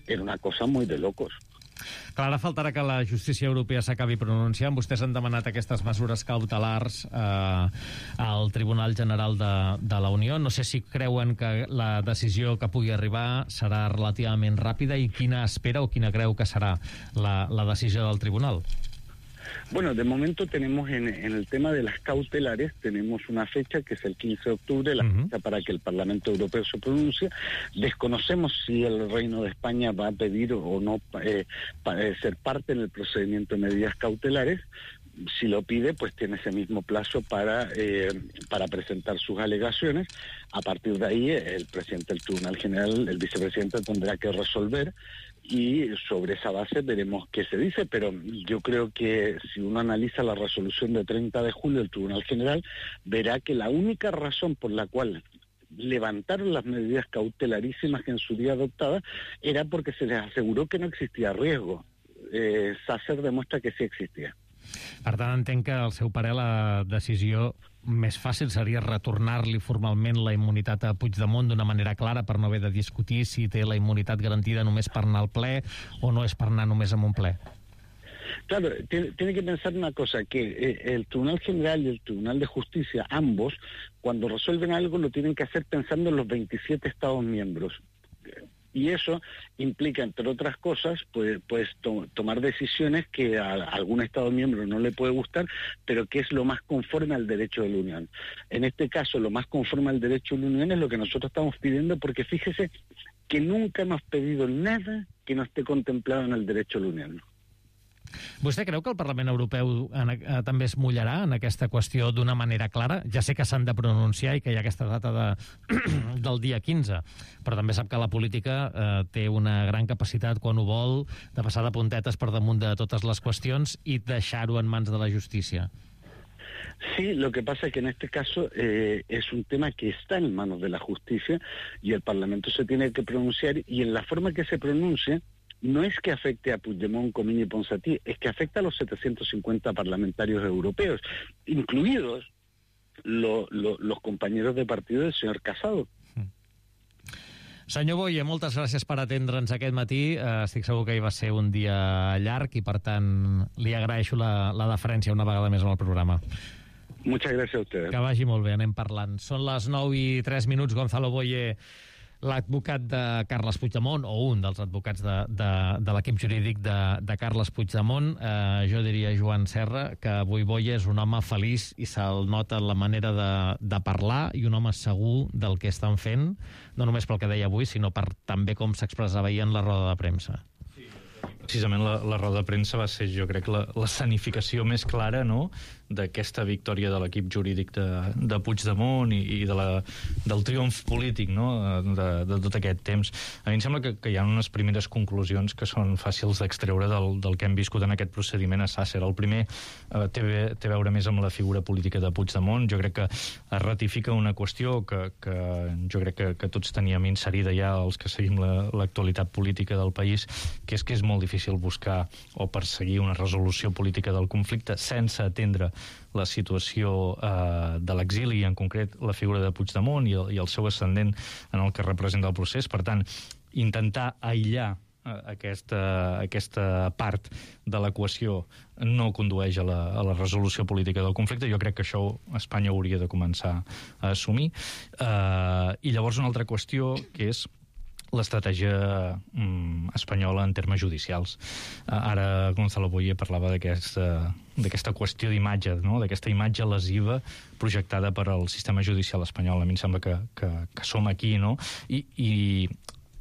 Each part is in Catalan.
era una cosa muy de locos. Clar, ara faltarà que la justícia europea s'acabi pronunciant. Vostès han demanat aquestes mesures cautelars al Tribunal General de la Unió. No sé si creuen que la decisió que pugui arribar serà relativament ràpida i quina espera o quina creu que serà la decisió del Tribunal. Bueno, de momento tenemos en el tema de las cautelares, tenemos una fecha que es el 15 de octubre, la fecha para que el Parlamento Europeo se pronuncie. Desconocemos si el Reino de España va a pedir o no ser parte en el procedimiento de medidas cautelares. Si lo pide, pues tiene ese mismo plazo para presentar sus alegaciones. A partir de ahí, el presidente del Tribunal General, el vicepresidente, tendrá que resolver y sobre esa base veremos qué se dice, pero yo creo que si uno analiza la resolución de 30 de julio del Tribunal General, verá que la única razón por la cual levantaron las medidas cautelarísimas que en su día adoptadas era porque se les aseguró que no existía riesgo. Sàcer demuestra que sí existia. Per tant, entenc que al seu parer la decisió més fàcil seria retornar-li formalment la immunitat a Puigdemont d'una manera clara per no haver de discutir si té la immunitat garantida només per anar al ple o no és per anar només a un ple. Claro, tiene que pensar una cosa, que el Tribunal General y el Tribunal de Justicia, ambos, cuando resuelven algo lo tienen que hacer pensando en los 27 Estados miembros. Y eso implica, entre otras cosas, pues tomar decisiones que a algún Estado miembro no le puede gustar, pero que es lo más conforme al derecho de la Unión. En este caso, lo más conforme al derecho de la Unión es lo que nosotros estamos pidiendo, porque fíjese que nunca hemos pedido nada que no esté contemplado en el derecho de la Unión. Vostè creu que el Parlament Europeu també es mullarà en aquesta qüestió d'una manera clara? Ja sé que s'han de pronunciar i que hi ha aquesta data del dia 15, però també sap que la política té una gran capacitat, quan ho vol, de passar de puntetes per damunt de totes les qüestions i deixar-ho en mans de la justícia. Sí, lo que pasa es que en este caso es un tema que está en manos de la justicia y el Parlamento se tiene que pronunciar, y en la forma que se pronuncie no es que afecte a Puigdemont, Comín y Ponsatí, es que afecta a los 750 parlamentarios europeos, incluidos los compañeros de partido del señor Casado. Senyor Boye, moltes gràcies per atendre'ns aquest matí. Estic segur que hi va ser un dia llarg i, per tant, li agraeixo la deferència una vegada més en el programa. Muchas gracias a ustedes. Que vagi molt bé, anem parlant. Són les 9:03, Gonzalo Boye, l'advocat de Carles Puigdemont, o un dels advocats de l'equip jurídic de Carles Puigdemont. Jo diria, Joan Serra, que avui Boye és un home feliç i se'l nota la manera de parlar, i un home segur del que estan fent, no només pel que deia avui, sinó per també com s'expressava ahir en la roda de premsa. Precisament la roda de premsa va ser, jo crec, l'escenificació més clara, no?, d'aquesta victòria de l'equip jurídic de Puigdemont i del triomf polític, no?, de tot aquest temps. A mi em sembla que hi ha unes primeres conclusions que són fàcils d'extreure del que hem viscut en aquest procediment a Sàcer. El primer té a veure més amb la figura política de Puigdemont. Jo crec que es ratifica una qüestió que jo crec que tots teníem inserida ja, els que seguim l'actualitat política del país, que és molt difícil buscar o perseguir una resolució política del conflicte sense atendre la situació de l'exili, i en concret la figura de Puigdemont i el seu ascendent en el que representa el procés. Per tant, intentar aïllar aquesta part de l'equació no condueix a la resolució política del conflicte. Jo crec que això Espanya hauria de començar a assumir. I llavors una altra qüestió, que és l'estratègia espanyola en termes judicials. Ara Gonzalo Boye parlava d'aquesta qüestió d'imatge, no?, d'aquesta imatge lesiva projectada per al sistema judicial espanyol. A mi em sembla que som aquí, no?, i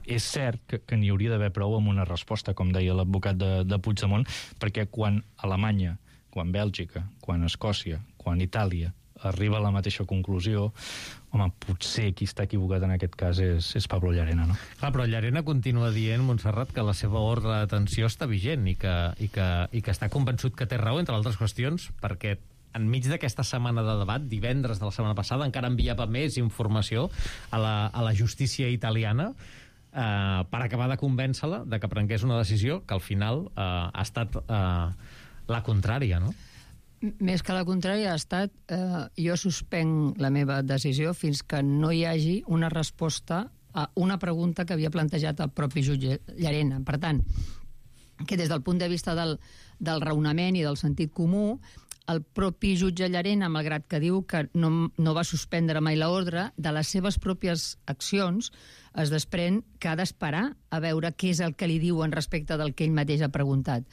és cert que n'hi hauria d'haver prou amb una resposta, com deia l'advocat de Puigdemont, perquè quan Alemanya, quan Bèlgica, quan Escòcia, quan Itàlia arriba a la mateixa conclusió, home, potser qui està equivocat en aquest cas és Pablo Llarena, no? Clar, però Llarena continua dient, Montserrat, que la seva ordre de detenció està vigent i que està convençut que té raó, entre altres qüestions, perquè enmig d'aquesta setmana de debat, divendres de la setmana passada, encara enviava més informació a la justícia italiana per acabar de convèncer-la de que prengués una decisió que al final ha estat la contrària, no? Més que la contrària ha estat jo suspenc la meva decisió fins que no hi hagi una resposta una pregunta que havia plantejat el propi jutge Llarena. Per tant, que des del punt de vista del raonament i del sentit comú, el propi jutge Llarena, malgrat que diu que no va suspendre mai l'ordre, de les seves pròpies accions es desprèn que ha d'esperar a veure què és el que li diuen respecte del que ell mateix ha preguntat.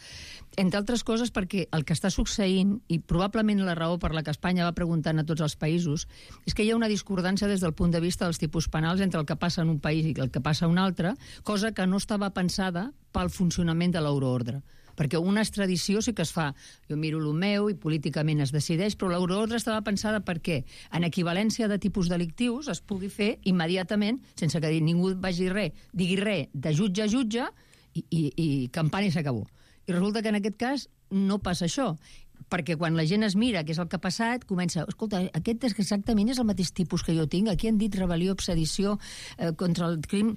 Entre altres coses perquè el que està succeint, i probablement la raó per la que Espanya va preguntant a tots els països, és que hi ha una discordança des del punt de vista dels tipus penals entre el que passa en un país i el que passa en un altre, cosa que no estava pensada pel funcionament de l'euroordre. Perquè una extradició sí que es fa, jo miro el meu i políticament es decideix, però l'euroordre estava pensada perquè en equivalència de tipus delictius es pugui fer immediatament, sense que ningú digui res, de jutge a jutge i campana i s'acabó. I resulta que en aquest cas no passa això, perquè quan la gent es mira què és el que ha passat, comença, escolta, aquest exactament és el mateix tipus que jo tinc, aquí han dit rebel·lió, sedició contra el crim...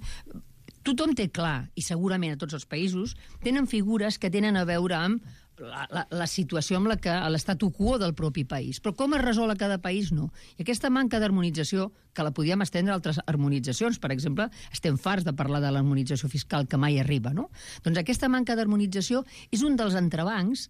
Tothom té clar, i segurament a tots els països, tenen figures que tenen a veure amb la situació amb la que l'estatu quo del propi país. Però com es resol a cada país, no. I aquesta manca d'harmonització, que la podíem estendre a altres harmonitzacions, per exemple, estem farts de parlar de l'harmonització fiscal que mai arriba, no? Doncs aquesta manca d'harmonització és un dels entrebancs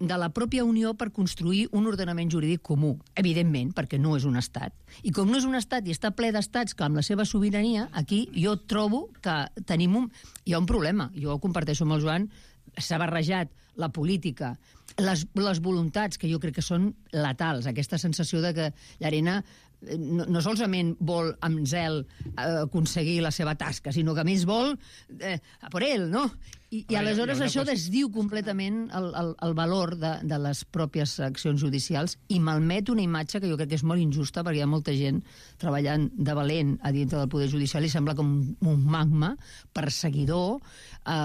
de la pròpia Unió per construir un ordenament jurídic comú, evidentment, perquè no és un estat. I com no és un estat i està ple d'estats que amb la seva sobirania, aquí jo trobo que hi ha un problema. Jo ho comparteixo amb el Joan, s'ha barrejat la política, les voluntats, que jo crec que són letals, aquesta sensació de que Llarena no solament vol amb zel aconseguir la seva tasca, sinó que a més vol a per ell, no? I aleshores això desdiu completament el valor de les pròpies accions judicials i malmet una imatge que jo crec que és molt injusta, perquè hi ha molta gent treballant de valent a dintre del Poder Judicial i sembla com un magma perseguidor,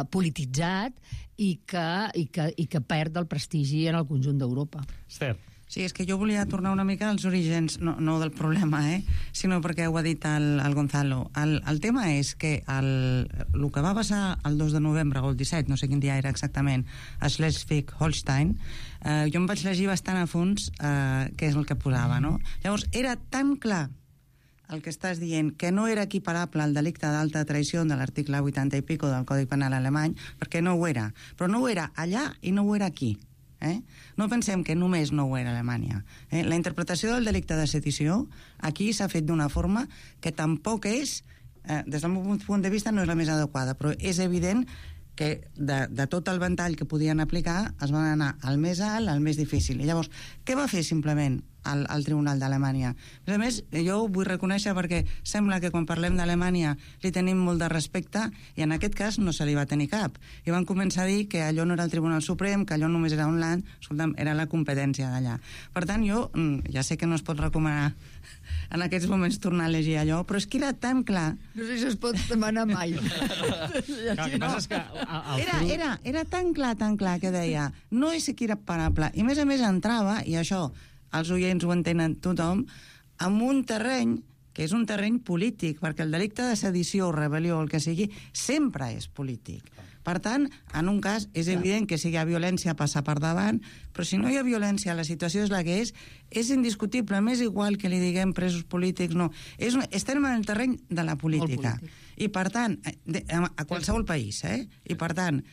polititzat i que perd el prestigi en el conjunt d'Europa. Esther. Sí, és que jo volia tornar una mica als orígens, no del problema, sinó perquè ho ha dit el Gonzalo. El tema és que el que va passar el 2 de novembre o el 17, no sé quin dia era exactament, a Schleswig-Holstein, jo em vaig llegir bastant a fons què és el que posava, no? Llavors, era tan clar el que estàs dient, que no era equiparable al delicte d'alta traïció de l'article 80 i pico del Codi Penal alemany, perquè no ho era. Però no ho era allà i no ho era aquí. No pensem que només no ho era a Alemanya. La interpretació del delicte de sedició aquí s'ha fet d'una forma que tampoc és, des del meu punt de vista, no és la més adequada, però és evident que de tot el ventall que podien aplicar es van anar al més alt, al més difícil. I llavors, què va fer simplement al Tribunal d'Alemanya? A més, jo ho vull reconèixer perquè sembla que quan parlem d'Alemanya li tenim molt de respecte i en aquest cas no se li va tenir cap. I van començar a dir que allò no era el Tribunal Suprem, que allò només era un land, escolta'm, era la competència d'allà. Per tant, jo ja sé que no es pot recomanar en aquests moments tornar a llegir allò, però és que era tan clar... No sé si es pot demanar mai. Era tan clar que deia no és equiparable, i a més entrava, i això els oients ho entenen tothom, en un terreny que és un terreny polític, perquè el delicte de sedició o rebel·lió, el que sigui, sempre és polític. Per tant, en un cas és evident que si hi ha violència passa per davant, però si no hi ha violència, la situació és la que és indiscutible, m'és igual que li diguem presos polítics, no. Estem en el terreny de la política. I per tant, a qualsevol país, i per tant,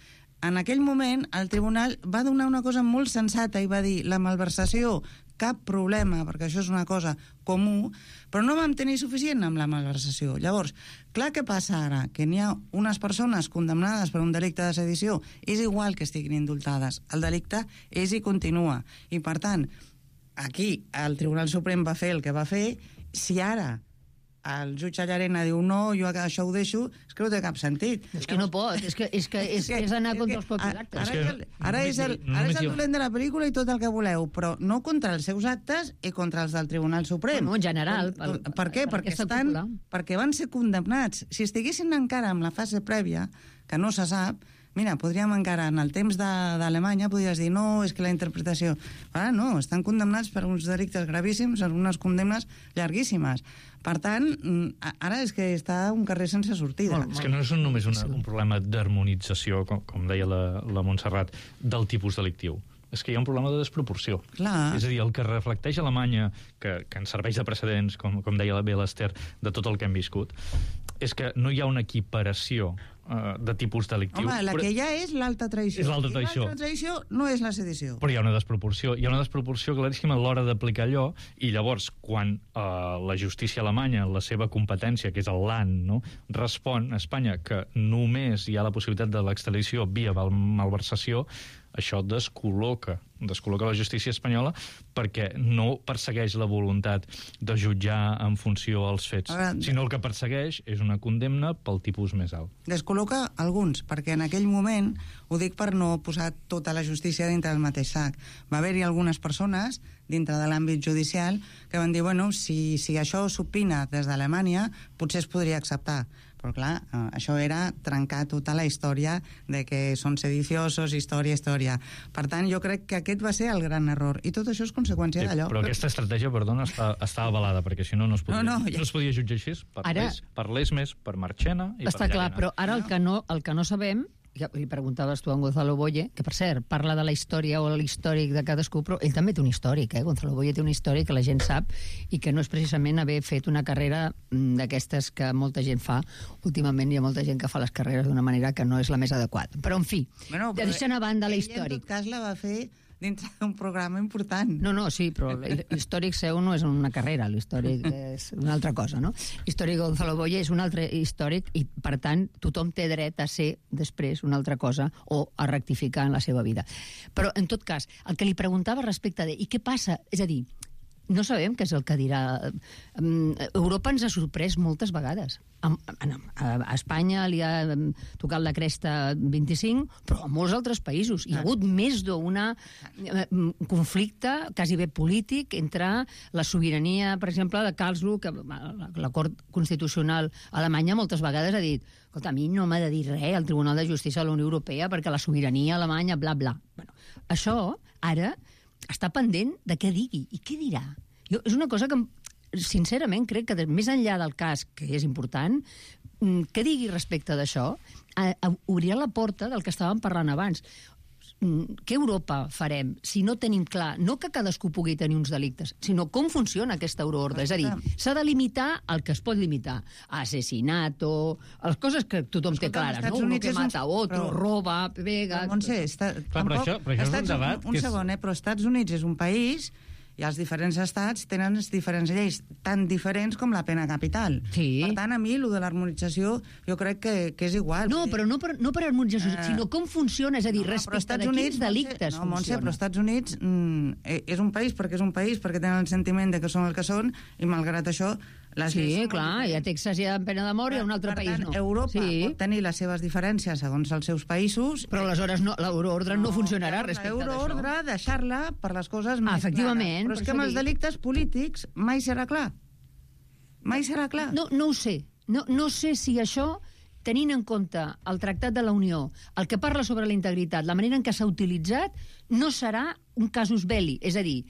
en aquell moment el tribunal va donar una cosa molt sensata i va dir la malversació, cap problema, perquè això és una cosa comú, però no vam tenir suficient amb la malversació. Llavors, clar, què passa ara? Que n'hi ha unes persones condemnades per un delicte de sedició, és igual que estiguin indultades. El delicte és i continua. I, per tant, aquí el Tribunal Suprem va fer el que va fer. Si ara el jutge Llarena diu no, jo això ho deixo, és que no té cap sentit. És que no pot, és anar contra els propis actes. Ara és el dolent de la pel·lícula i tot el que voleu, però no contra els seus actes i contra els del Tribunal Suprem. No, en general. Per què? Perquè van ser condemnats. Si estiguessin encara en la fase prèvia, que no se sap, mira, podríem encara, en el temps d'Alemanya, podries dir, no, és que la interpretació... Ara no, estan condemnats per uns delictes gravíssims, unes condemnes llarguíssimes. Per tant, ara és que està un carrer sense sortida. És que no és només un problema d'harmonització, com deia la Montserrat, del tipus delictiu. És que hi ha un problema de desproporció. Clar. És a dir, el que reflecteix Alemanya, que ens serveix de precedents, com deia bé l'Esther, de tot el que hem viscut, és que no hi ha una equiparació de tipus delictiu. Home, la que hi ha és l'alta traïció. És l'alta traïció. L'alta traïció no és la sedició. Però hi ha una desproporció. Hi ha una desproporció claríssima a l'hora d'aplicar allò, i llavors, quan la justícia alemanya, la seva competència, que és el Land, no, respon a Espanya que només hi ha la possibilitat de l'extradició via malversació, això descol·loca la justícia espanyola perquè no persegueix la voluntat de jutjar en funció als fets, sinó el que persegueix és una condemna pel tipus més alt. Descol·loca alguns, perquè en aquell moment, ho dic per no posar tota la justícia dintre del mateix sac, va haver-hi algunes persones dintre de l'àmbit judicial que van dir, bueno, si això s'opina des d'Alemanya, potser es podria acceptar. Però clar, això era trencar tota la història de que són sediciosos, història. Per tant, jo crec que aquest va ser el gran error. I tot això és conseqüència d'allò. Però aquesta estratègia, perdona, està avalada, perquè si no, no es podia jutjar així. Per l'Esmes, per Marchena i per Llarena. Està clar, però ara el que no sabem, li preguntaves tu a Gonzalo Boye, que per cert, parla de la història o l'històric de cadascú, però ell també té un històric, Gonzalo Boye té un històric que la gent sap i que no és precisament haver fet una carrera d'aquestes que molta gent fa. Últimament hi ha molta gent que fa les carreres d'una manera que no és la més adequada. Però, en fi, deixant a banda l'històric. Ell, en tot cas, la va fer dintre d'un programa important. No, sí, però l'històric seu no és una carrera, l'històric és una altra cosa, no? L'històric Gonzalo Boye és un altre històric i, per tant, tothom té dret a ser després una altra cosa o a rectificar en la seva vida. Però, en tot cas, el que li preguntava respecte de i què passa, és a dir, no sabem què és el que dirà. Europa ens ha sorprès moltes vegades. A Espanya li ha tocat la cresta 25, però a molts altres països. Hi ha hagut més d'un conflicte quasi bé polític entre la sobirania, per exemple, de Karlsruhe, que la Cort Constitucional alemanya moltes vegades ha dit escolta, a mi no m'ha de dir res al Tribunal de Justícia de la Unió Europea perquè la sobirania alemanya, bla, bla. Bueno, això, ara, està pendent de què digui. I què dirà? És una cosa que, sincerament, crec que més enllà del cas, que és important, què digui respecte d'això, obrirà la porta del que estàvem parlant abans. Què Europa farem si no tenim clar, no que cadascú pugui tenir uns delictes, sinó com funciona aquesta euroordre? És a dir, s'ha de limitar el que es pot limitar. Assassinato, les coses que tothom té clares, no? Uno que mata a otro, roba, pega... Montse, però això és un debat... Un segon, però Estats Units és un país i els diferents estats tenen les diferents lleis, tan diferents com la pena capital. Sí. Per tant, a mi, el de l'harmonització, jo crec que és igual. No, però no per harmonització, sinó com funciona, és a dir, respecte de quins delictes funciona. Montse, però Estats Units és un país perquè tenen el sentiment de que són el que són, i malgrat això... Sí, clar, i a Texas hi ha pena de mort i a un altre país no. Per tant, Europa pot tenir les seves diferències segons els seus països... Però aleshores l'euroordre no funcionarà respecte d'això. L'euroordre, deixar-la per les coses més efectivament, clares. Però és que amb els delictes polítics mai serà clar. Mai serà clar. No ho sé. No sé si això, tenint en compte el Tractat de la Unió, el que parla sobre la integritat, la manera en què s'ha utilitzat, no serà un casus belli. És a dir,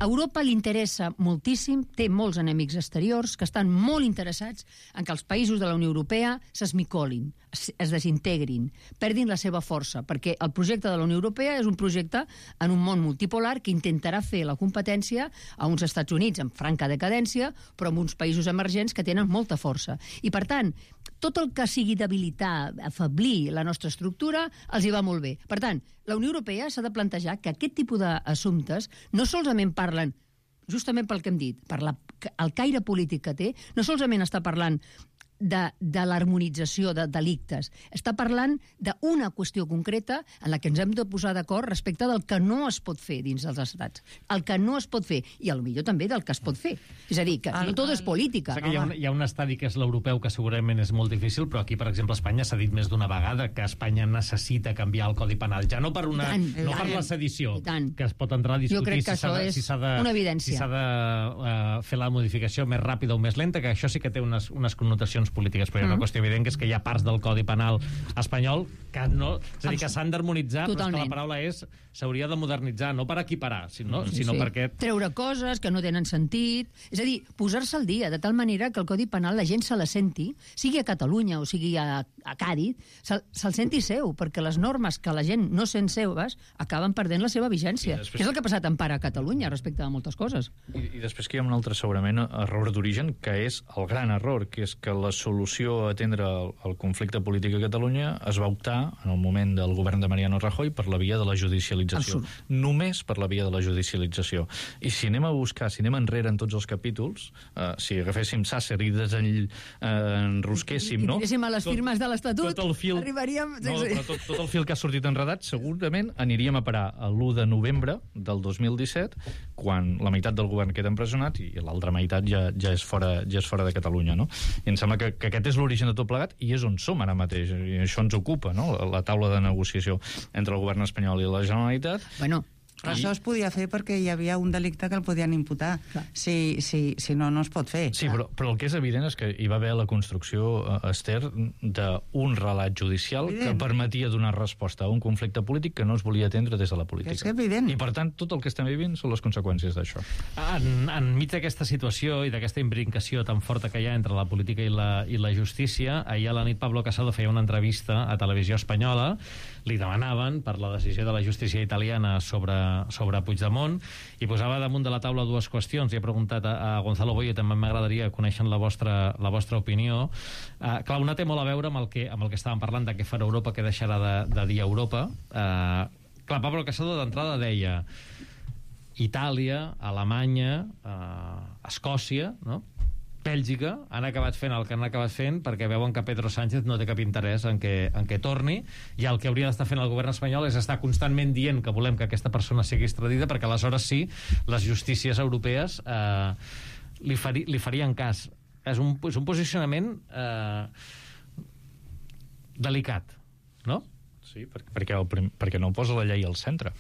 a Europa li interessa moltíssim, té molts enemics exteriors que estan molt interessats en que els països de la Unió Europea s'esmicolin, es desintegrin, perdin la seva força, perquè el projecte de la Unió Europea és un projecte en un món multipolar que intentarà fer la competència a uns Estats Units en franca decadència, però amb uns països emergents que tenen molta força. I, per tant, tot el que sigui debilitar, afeblir la nostra estructura, els hi va molt bé. Per tant, la Unió Europea s'ha de plantejar que aquest tipus d'assumptes no solament parlen, justament pel que hem dit, per el caire polític que té, no solament està parlant de l'harmonització de delictes. Està parlant d'una qüestió concreta en la que ens hem de posar d'acord respecte del que no es pot fer dins dels estats. El que no es pot fer, i potser també del que es pot fer. És a dir, que no tot és política. Hi ha un estadi que és l'europeu, que segurament és molt difícil, però aquí, per exemple, a Espanya s'ha dit més d'una vegada que Espanya necessita canviar el Codi Penal. Ja no per la sedició, que es pot entrar a discutir si s'ha de fer la modificació més ràpida o més lenta, que això sí que té unes connotacions polítiques, però hi ha una qüestió evident, que és que hi ha parts del Codi Penal espanyol que no, és a dir, que s'han d'harmonitzar, però és que la paraula és s'hauria de modernitzar, no per equiparar, sinó perquè... Treure coses que no tenen sentit, és a dir, posar-se al dia, de tal manera que el Codi Penal la gent se la senti, sigui a Catalunya o sigui a Càdiz, se'l senti seu, perquè les normes que la gent no sent seves acaben perdent la seva vigència. Després... És el que ha passat en part a Catalunya respecte a moltes coses. I després que hi ha un altre, segurament, error d'origen, que és el gran error, que és que la solució a atendre el conflicte polític a Catalunya es va optar, en el moment del govern de Mariano Rajoy, per la via de la judicialització. Només per la via de la judicialització. I si anem a buscar, si anem enrere en tots els capítols, si agaféssim Sàcer i enrosquéssim, no? I tiréssim a les firmes de l'Estatut, arribaríem... Tot el fil que ha sortit enredat, segurament aniríem a parar a l'1 de novembre del 2017, quan la meitat del govern queda empresonat i l'altra meitat ja és fora de Catalunya, no? I em sembla que aquest és l'origen de tot plegat i és on som ara mateix, i això ens ocupa, no? La taula de negociació entre el govern espanyol i la Generalitat. Bueno, però això es podia fer perquè hi havia un delicte que el podien imputar. Si no, no es pot fer. Sí, però el que és evident és que hi va haver la construcció, Esther, d'un relat judicial que permetia donar resposta a un conflicte polític que no es volia atendre des de la política. És evident. I, per tant, tot el que estem vivint són les conseqüències d'això. Enmig d'aquesta situació i d'aquesta imbricació tan forta que hi ha entre la política i la justícia, ahir a la nit Pablo Casado feia una entrevista a Televisió Espanyola. Li demanaven per la decisió de la justícia italiana sobre Puigdemont i posava damunt de la taula dues qüestions. I he preguntat a Gonzalo Boye, també m'agradaria conèixer la vostra opinió. Clar, una té molt a veure amb el que estàvem parlant, de què farà Europa, què deixarà de dir Europa. Clar, Pablo Casado d'entrada deia Itàlia, Alemanya, Escòcia, no? Bèlgica han acabat fent el que han acabat fent perquè veuen que Pedro Sánchez no té cap interès en què torni, i el que hauria d'estar fent el govern espanyol és estar constantment dient que volem que aquesta persona sigui extradida, perquè aleshores sí, les justícies europees li farien cas. És un posicionament delicat, no? Sí, perquè no posa la llei al centre.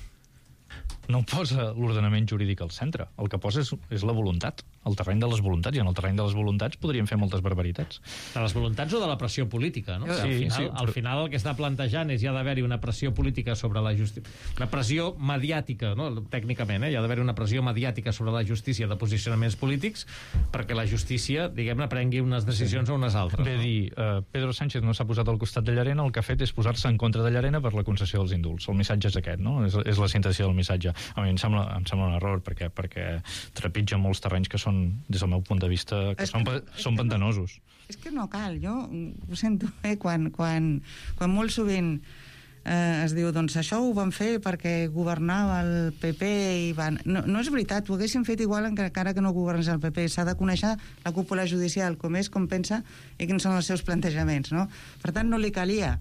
No posa l'ordenament jurídic al centre. El que posa és la voluntat, el terreny de les voluntats, i en el terreny de les voluntats podríem fer moltes barbaritats. De les voluntats o de la pressió política, no? Sí, al final el que està plantejant és hi ha d'haver-hi una pressió política sobre la justícia, una pressió mediàtica, no? Tècnicament, hi ha d'haver una pressió mediàtica sobre la justícia de posicionaments polítics perquè la justícia, diguem-ne, prengui unes decisions o unes altres. Ve dir, Pedro Sánchez no s'ha posat al costat de Llarena, el que ha fet és posar-se en contra de Llarena per la concessió dels indults. El missatge és aquest, no? És la síntesi del missatge. A mi em sembla un error perquè trepitja molts terrenys que són, des del meu punt de vista, són pantanosos. És que no cal, jo ho sento, quan molt sovint es diu, doncs això ho van fer perquè governava el PP i van... No és veritat, ho haguessin fet igual encara que no governés el PP. S'ha de conèixer la cúpula judicial, com és, com pensa i quins són els seus plantejaments, no? Per tant, no li calia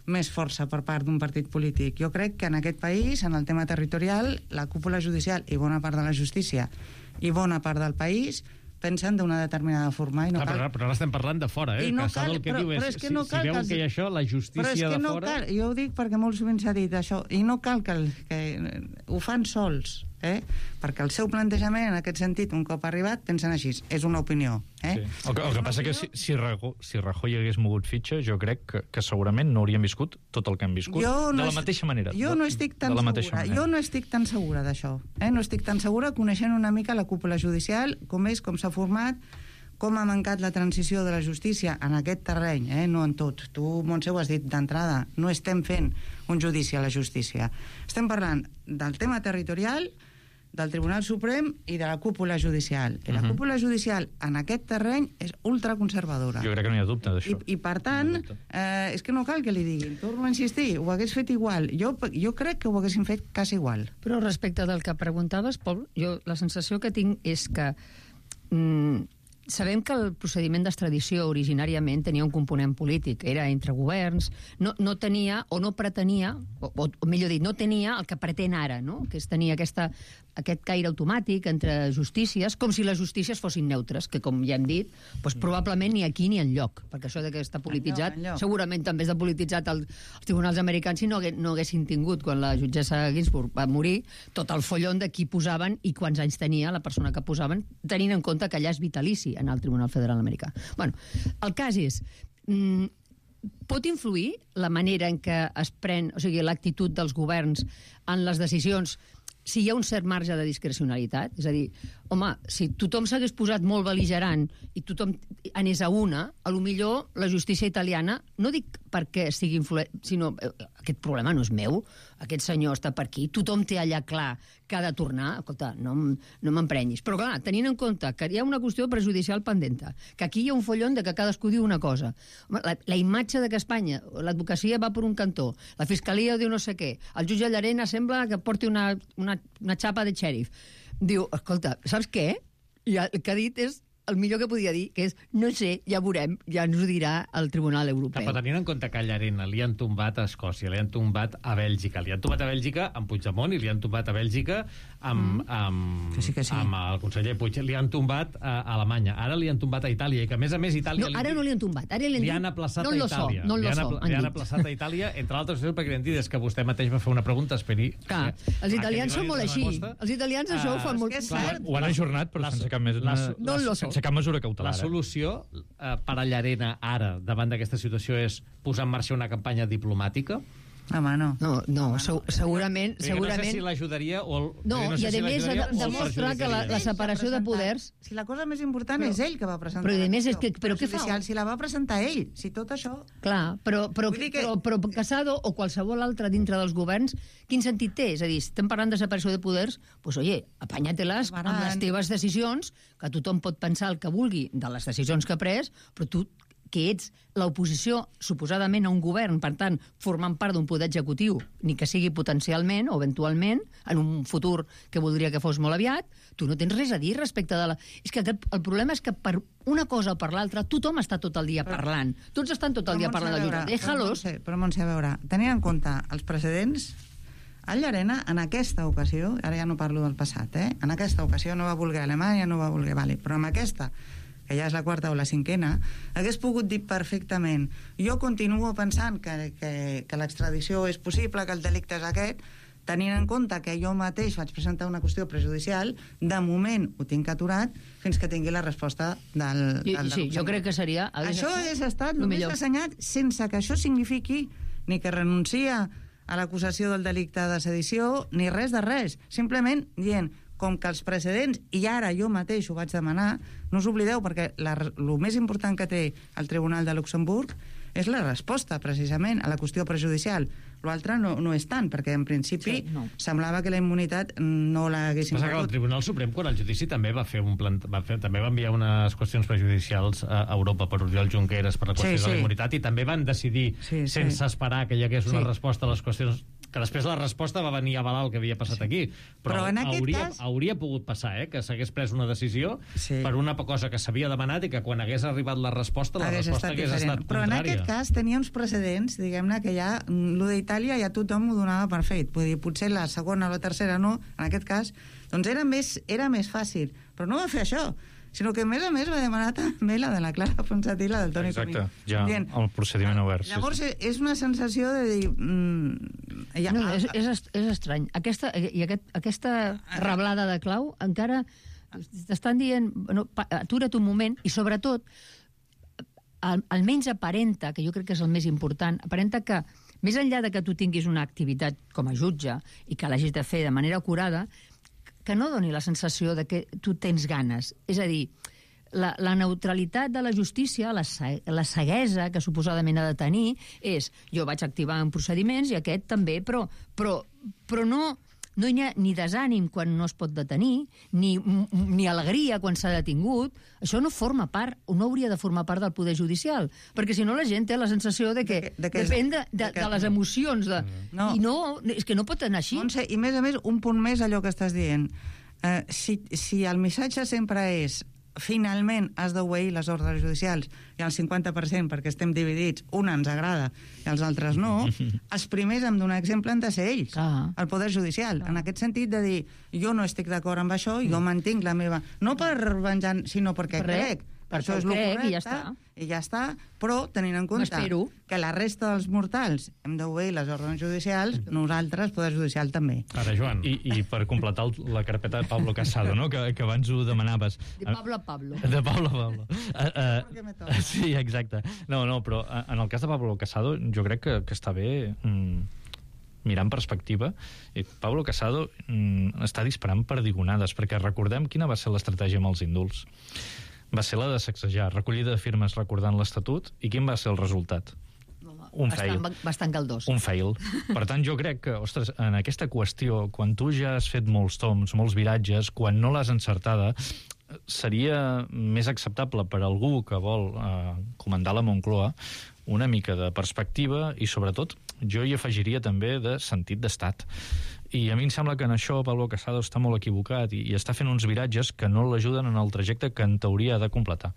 més força per part d'un partit polític. Jo crec que en aquest país, en el tema territorial, la cúpula judicial i bona part de la justícia i bona part del país pensen d'una determinada forma i no cal... Però ara estem parlant de fora, I no Casado el que diu és, si veuen que hi ha això, la justícia de fora... Cal, jo ho dic perquè molt sovint s'ha dit això, i no cal que ho fan sols, perquè el seu plantejament, en aquest sentit, un cop arribat, pensen així, és una opinió. Sí. El que passa que si Rajoy hagués mogut fitxa, jo crec que segurament no hauríem viscut tot el que hem viscut, de la mateixa manera. Jo no estic tan segura d'això. No estic tan segura, coneixent una mica la cúpula judicial, com s'ha format, com ha mancat la transició de la justícia en aquest terreny, no en tot. Tu, Montse, ho has dit d'entrada, no estem fent un judici a la justícia. Estem parlant del tema territorial, del Tribunal Suprem i de la cúpula judicial. I la cúpula judicial en aquest terreny és ultraconservadora. Jo crec que no hi ha dubte d'això. I per tant, és que no cal que li diguin. Torno a insistir, ho hagués fet igual. Jo crec que ho haguessin fet quasi igual. Però respecte del que preguntaves, Pol, jo la sensació que tinc és que sabem que el procediment d'extradició originàriament tenia un component polític, era entre governs, no tenia o no pretenia, o millor dit, no tenia el que pretén ara, no? Que és tenir aquest caire automàtic entre justícies, com si les justícies fossin neutres, que com ja hem dit, doncs probablement ni aquí ni enlloc, perquè això de que està polititzat, segurament també està polititzat els tribunals americans si no haguessin tingut, quan la jutgessa Ginsburg va morir, tot el follon de qui posaven i quants anys tenia la persona que posaven, tenint en compte que allà és vitalici en el Tribunal Federal Americà. Bueno, el cas és... pot influir la manera en què es pren, o sigui, l'actitud dels governs en les decisions, si hi ha un cert marge de discrecionalitat? És a dir, home, si tothom s'hagués posat molt bel·ligerant i tothom anés a una, a lo millor la justícia italiana, no dic perquè sigui influent, sinó aquest problema no és meu, aquest senyor està per aquí, tothom té allà clar que ha de tornar, escolta, no m'emprenyis. Però clar, tenint en compte que hi ha una qüestió prejudicial pendenta, que aquí hi ha un follon de que cadascú diu una cosa. Home, la imatge de que Espanya, l'advocacia va per un cantó, la fiscalia diu no sé què, el jutge Llarena sembla que porti una xapa de xèrif. Diu, escolta, saps què? I el que ha dit és el millor que podia dir, que és, no sé, ja veurem, ja ens ho dirà el Tribunal Europeu. Però tenint en compte que a Llarena li han tombat a Escòcia, li han tombat a Bèlgica, li han tombat a Bèlgica amb Puigdemont i li han tombat a Bèlgica amb el conseller Puig, li han tombat a Alemanya, ara li han tombat a Itàlia, i que a més Itàlia... No, ara no li han tombat, ara li han aplaçat a Itàlia. Li han aplaçat a Itàlia, entre altres coses, perquè li han dit és que vostè mateix va fer una pregunta, esperi... Clar, els italians són molt així. Els italians això ho fan molt... Ho han ajornat, però sense cap mesura cautelar. La solució per a Llarena ara, davant d'aquesta situació, és posar en marxa una campanya diplomàtica? Home, no. No, segurament... No sé si l'ajudaria o... No, i a més demostra que la separació de poders... Si la cosa més important és ell que va presentar... Però a més, però què fa? Si la va presentar ell, si tot això... Clar, però Casado o qualsevol altre dintre dels governs, quin sentit té? És a dir, si estem parlant de separació de poders, doncs, oye, apanya-te-les amb les teves decisions, que tothom pot pensar el que vulgui de les decisions que ha pres, però tu que ets l'oposició suposadament a un govern, per tant, formant part d'un poder executiu, ni que sigui potencialment o eventualment, en un futur que voldria que fos molt aviat, tu no tens res a dir respecte de la... És que el problema és que per una cosa o per l'altra tothom està tot el dia parlant. Tots estan tot el dia parlant de jutge. Déjalos. Però Montse, a veure, tenint en compte els precedents, el Llarena, en aquesta ocasió, ara ja no parlo del passat, en aquesta ocasió no va voler Alemanya, no va voler... Vale, però en aquesta, que ja és la quarta o la cinquena, hagués pogut dir perfectament, jo continuo pensant que l'extradició és possible, que el delicte és aquest, tenint en compte que jo mateix vaig presentar una qüestió prejudicial, de moment ho tinc aturat fins que tingui la resposta del sí, jo crec que seria... Això és estat només assenyat sense que això signifiqui ni que renuncia a l'acusació del delicte de sedició, ni res de res. Simplement dient, com que els precedents, i ara jo mateix ho vaig demanar, no us oblideu, perquè el més important que té el Tribunal de Luxemburg és la resposta, precisament, a la qüestió prejudicial. L'altre no és tant, perquè en principi semblava que la immunitat no l'haguessin perdut. El Tribunal Suprem, quan el judici també va fer també va enviar unes qüestions prejudicials a Europa per Oriol Junqueras per la qüestió de la immunitat, i també van decidir, sense esperar que hi hagués una resposta a les qüestions, que després la resposta va venir a avalar el que havia passat aquí, però en hauria pogut passar, que s'hagués pres una decisió per una cosa que s'havia demanat i que quan hagués arribat la resposta hagués estat contrària. Però en aquest cas tenia uns precedents, diguem-ne, que ja lo d'Itàlia ja tothom ho donava per fet. Vull dir, potser la segona o la tercera no, en aquest cas, doncs era més fàcil. Però no va fer això, sinó que a més va demanar també la de la Clara Ponsatí i la del Toni Comín. Exacte, ja el procediment obert. Llavors és una sensació de dir... És estrany. Aquesta reblada de clau encara t'estan dient atura't un moment, i sobretot almenys aparenta, que jo crec que és el més important, aparenta que més enllà de que tu tinguis una activitat com a jutge i que l'hagis de fer de manera acurada, que no doni la sensació de que tu tens ganes. És a dir, la neutralitat de la justícia, la ceguesa que suposadament ha de tenir, és jo vaig activar en procediments i aquest també, però no hi ha ni desànim quan no es pot detenir, ni alegria quan s'ha detingut. Això no forma part, o no hauria de formar part del poder judicial, perquè si no la gent té la sensació de que depèn de les emocions. I no, és que no pot anar així. Montse, i a més, un punt més allò que estàs dient. Si el missatge sempre és finalment has d'obeir les ordres judicials i el 50% perquè estem dividits, una ens agrada i els altres no, els primers em donar exemple han de ser ells, el Poder Judicial, en aquest sentit de dir jo no estic d'acord amb això, jo mantinc la meva, no per venjar, sinó perquè crec això és el correcte, i ja està, però tenint en compte que la resta dels mortals hem d'obeir les ordres judicials, nosaltres, Poder Judicial, també. Ara, Joan, i per completar la carpeta de Pablo Casado, no? que abans ho demanaves. De Pablo a Pablo. De Pablo a Pablo. Sí, exacte. No, però en el cas de Pablo Casado jo crec que està bé mirar en perspectiva. Pablo Casado està disparant perdigonades, perquè recordem quina va ser l'estratègia amb els indults. Va ser la de sacsejar, recollida de firmes recordant l'Estatut, i quin va ser el resultat? Un fail. Bastant caldós. Un fail. Per tant, jo crec que, ostres, en aquesta qüestió, quan tu ja has fet molts toms, molts viratges, quan no l'has encertada, seria més acceptable per algú que vol comandar la Moncloa una mica de perspectiva i, sobretot, jo hi afegiria també de sentit d'estat. I a mi em sembla que en això Pablo Casado està molt equivocat i està fent uns viratges que no l'ajuden en el trajecte que en teoria ha de completar.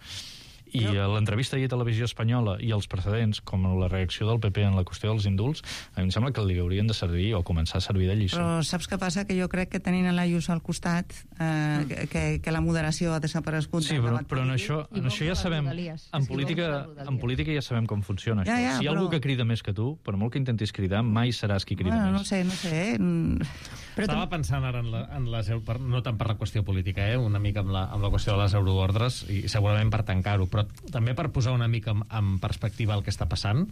I l'entrevista ahir a Televisió Espanyola i els precedents, com la reacció del PP en la qüestió dels indults, a mi em sembla que li haurien de servir o començar a servir de lliçó. Però saps què passa? Que jo crec que tenint l'Ayuso al costat, que la moderació ha desaparegut. Sí, però en això ja sabem... En política ja sabem com funciona això. Si hi ha algú que crida més que tu, per molt que intentis cridar, mai seràs qui crida més. No sé. Estava pensant ara en les... No tant per la qüestió política, una mica amb la qüestió de les euroordres, i segurament per tancar-ho, però també per posar una mica en perspectiva el que està passant.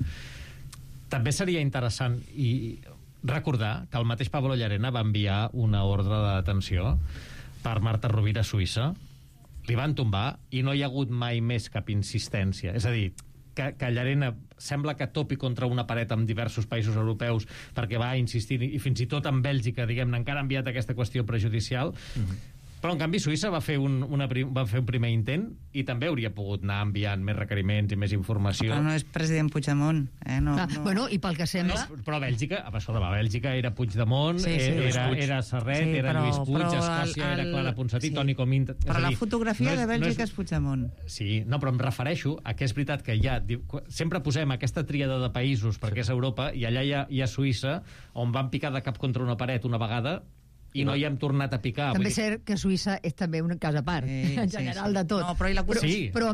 També seria interessant i recordar que el mateix Pablo Llarena va enviar una ordre de detenció per Marta Rovira a Suïssa, li van tombar i no hi ha hagut mai més cap insistència. És a dir, que Llarena sembla que topi contra una paret amb diversos països europeus perquè va insistir, i fins i tot en Bèlgica, diguem-ne, encara ha enviat aquesta qüestió prejudicial. Però, en canvi, Suïssa va fer un primer intent i també hauria pogut anar enviant més requeriments i més informació. Però no és president Puigdemont. No. Bueno, i pel que sembla... Però Bèlgica, Bèlgica era Puigdemont, era Serret, era Lluís Puig, Escòcia era Clara Ponsatí, Toni Comín... Però la fotografia de Bèlgica és Puigdemont. Sí, no, però em refereixo a que és veritat que sempre posem aquesta tríada de països perquè és Europa, i allà hi ha Suïssa, on van picar de cap contra una paret una vegada i no hi hem tornat a picar. També és cert que Suïssa és també un cas a part, en general de tot. No, però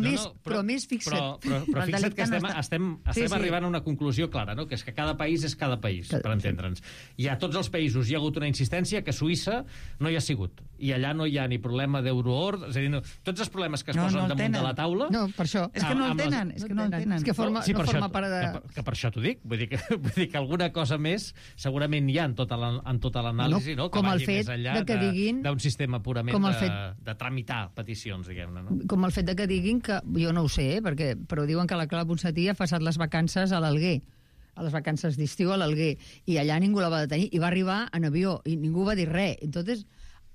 més fixa't. Però fixa't que estem arribant a una conclusió clara, no? Que és que cada país és cada país, per entendre'ns. I a tots els països hi ha hagut una insistència que Suïssa no hi ha sigut. I allà no hi ha ni problema d'euroord, és a dir, tots els problemes que es posen damunt de la taula... No, per això. És que no el tenen. És que forma part de... Que per això t'ho dic. Vull dir que alguna cosa més segurament hi ha en tota l'anàlisi, no? Com el fet de que diguin... d'un sistema purament de tramitar peticions, diguem-ne, no? Com el fet de que diguin que... Jo no ho sé, però diuen que la Clara Ponsatí ha passat les vacances a l'Alguer, a les vacances d'estiu a l'Alguer, i allà ningú la va detenir, i va arribar en avió, i ningú va dir res. Entonces...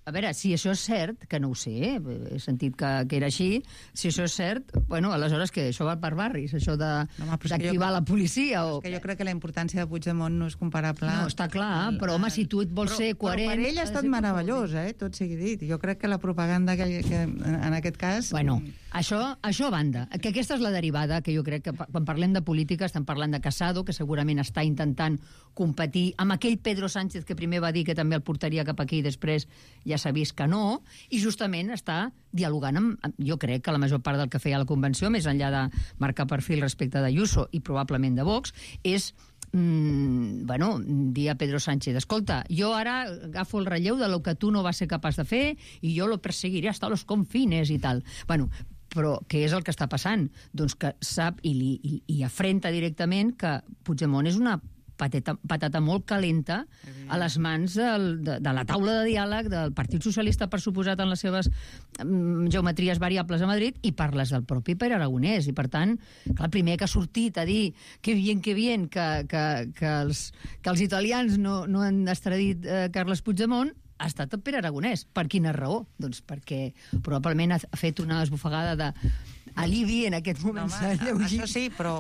A veure, si això és cert, que no ho sé, he sentit que era així, si això és cert, bueno, aleshores que això va per barris, això d'activar la policia o... És que jo crec que la importància de Puigdemont no és comparable... No, està clar, però home, si tu et vols ser coherent... Però per ell ha estat meravellós, tot sigui dit. Jo crec que la propaganda que en aquest cas... Bueno, això a banda, que aquesta és la derivada, que jo crec que quan parlem de política estem parlant de Casado, que segurament està intentant competir amb aquell Pedro Sánchez que primer va dir que també el portaria cap aquí i després ja s'ha vist que no, i justament està dialogant jo crec que la major part del que feia la convenció, més enllà de marcar perfil respecte d'Ayuso i probablement de Vox, és dir a Pedro Sánchez, escolta, jo ara agafo el relleu de lo que tu no vas ser capaç de fer i jo lo perseguiré hasta los confines i tal. Bueno, però què és el que està passant? Doncs que sap i afrenta directament que Puigdemont és una patata molt calenta a les mans de la taula de diàleg del Partit Socialista, per suposat, en les seves geometries variables a Madrid, i per les del propi Pere Aragonès. I, per tant, clar, el primer que ha sortit a dir que bien, que els italians no han extradit Carles Puigdemont, ha estat el Pere Aragonès. Per quina raó? Doncs perquè probablement ha fet una esbufegada d'alivi en aquest moment. Això sí, però...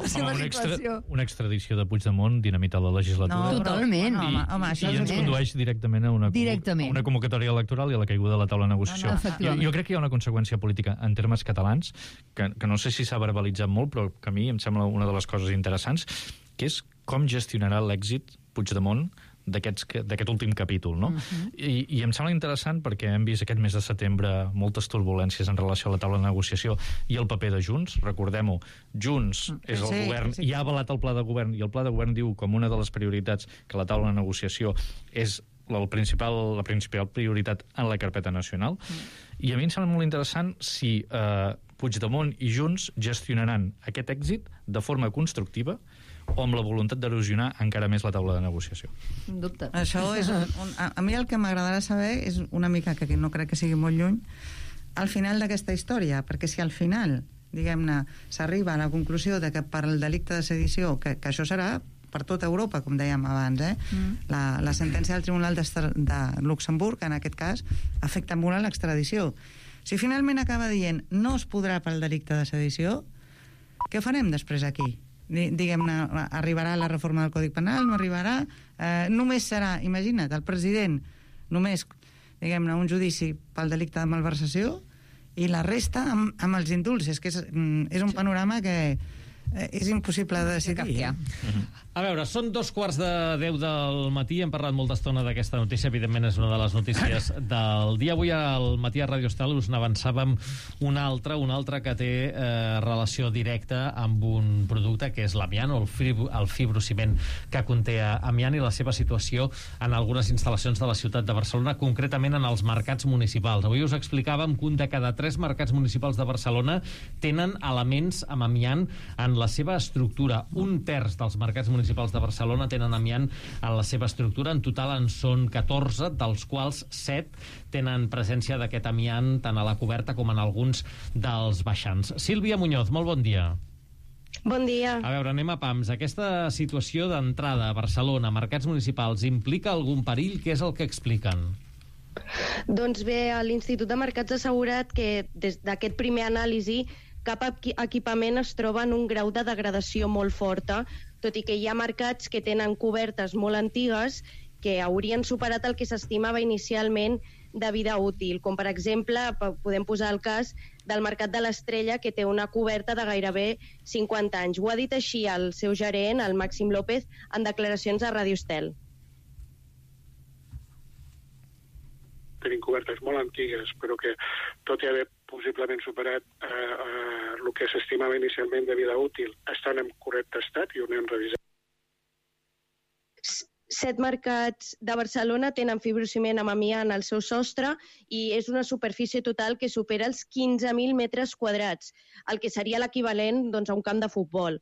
Una extradició de Puigdemont dinamita la legislatura. Totalment. I ens condueix directament a una convocatòria electoral i a la caiguda de la taula de negociació. Jo crec que hi ha una conseqüència política en termes catalans, que no sé si s'ha verbalitzat molt, però que a mi em sembla una de les coses interessants, que és com gestionarà l'èxit Puigdemont d'aquest últim capítol, no? I em sembla interessant perquè hem vist aquest mes de setembre moltes turbulències en relació a la taula de negociació i el paper de Junts. Recordem-ho, Junts és el govern i ha avalat el pla de govern, i el pla de govern diu com una de les prioritats que la taula de negociació és la principal prioritat en la carpeta nacional. I a mi em sembla molt interessant si Puigdemont i Junts gestionaran aquest èxit de forma constructiva o amb la voluntat d'erosionar encara més la taula de negociació. Dubte. Això és a mi el que m'agradarà saber és una mica, que no crec que sigui molt lluny, al final d'aquesta història, perquè si al final, diguem-ne, s'arriba a la conclusió de que per el delicte de sedició, que això serà per tota Europa, com dèiem abans, la sentència del Tribunal de Luxemburg, en aquest cas, afecta molt a l'extradició. Si finalment acaba dient no es podrà pel delicte de sedició, què farem després aquí? Diguem-ne, arribarà la reforma del Codi Penal, no arribarà, només serà, imagina't, el president només, diguem-ne, un judici pel delicte de malversació i la resta amb els indults. És que és un panorama que és impossible de decidir. A veure, són 2:15 del matí, hem parlat molta estona d'aquesta notícia, evidentment és una de les notícies del dia. Avui al matí a Ràdio Estel us n'avançàvem una altra que té relació directa amb un producte que és l'amiant o el fibrociment que conté amiant i la seva situació en algunes instal·lacions de la ciutat de Barcelona, concretament en els mercats municipals. Avui us explicàvem que un de cada 3 mercats municipals de Barcelona tenen elements amb amiant en la seva estructura. 1/3 dels mercats municipals de Barcelona tenen amiant en la seva estructura. En total en són 14, dels quals 7 tenen presència d'aquest amiant tant a la coberta com en alguns dels baixants. Sílvia Muñoz, molt bon dia. Bon dia. A veure, anem a pams. Aquesta situació d'entrada a Barcelona, mercats municipals, implica algun perill? Què és el que expliquen? Doncs bé, l'Institut de Mercats ha assegurat que des d'aquest primer anàlisi cap equipament es troba en un grau de degradació molt forta, tot i que hi ha mercats que tenen cobertes molt antigues que haurien superat el que s'estimava inicialment de vida útil, com per exemple podem posar el cas del Mercat de l'Estrella, que té una coberta de gairebé 50 anys. Ho ha dit així el seu gerent, el Màxim López, en declaracions a Ràdio Estel. Tenim cobertes molt antigues, però que tot i haver possiblement superat el que s'estimava inicialment de vida útil, estan en correcte estat i ho anem revisant. 7 mercats de Barcelona tenen fibrociment amb amiant al seu sostre i és una superfície total que supera els 15.000 metres quadrats, el que seria l'equivalent a un camp de futbol.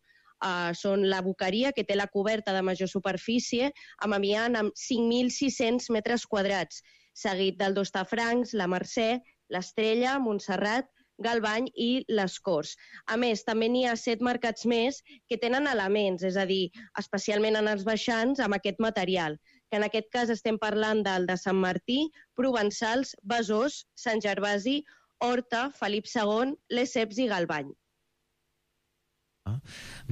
Són la Boqueria, que té la coberta de major superfície, amb amiant amb 5.600 metres quadrats, seguit del d'Hostafrancs, la Mercè, l'Estrella, Montserrat, Galvany i les Corts. A més, també n'hi ha 7 mercats més que tenen elements, és a dir, especialment en els baixants, amb aquest material, que en aquest cas estem parlant del de Sant Martí, Provençals, Besòs, Sant Gervasi, Horta, Felip II, Lesseps i Galvany.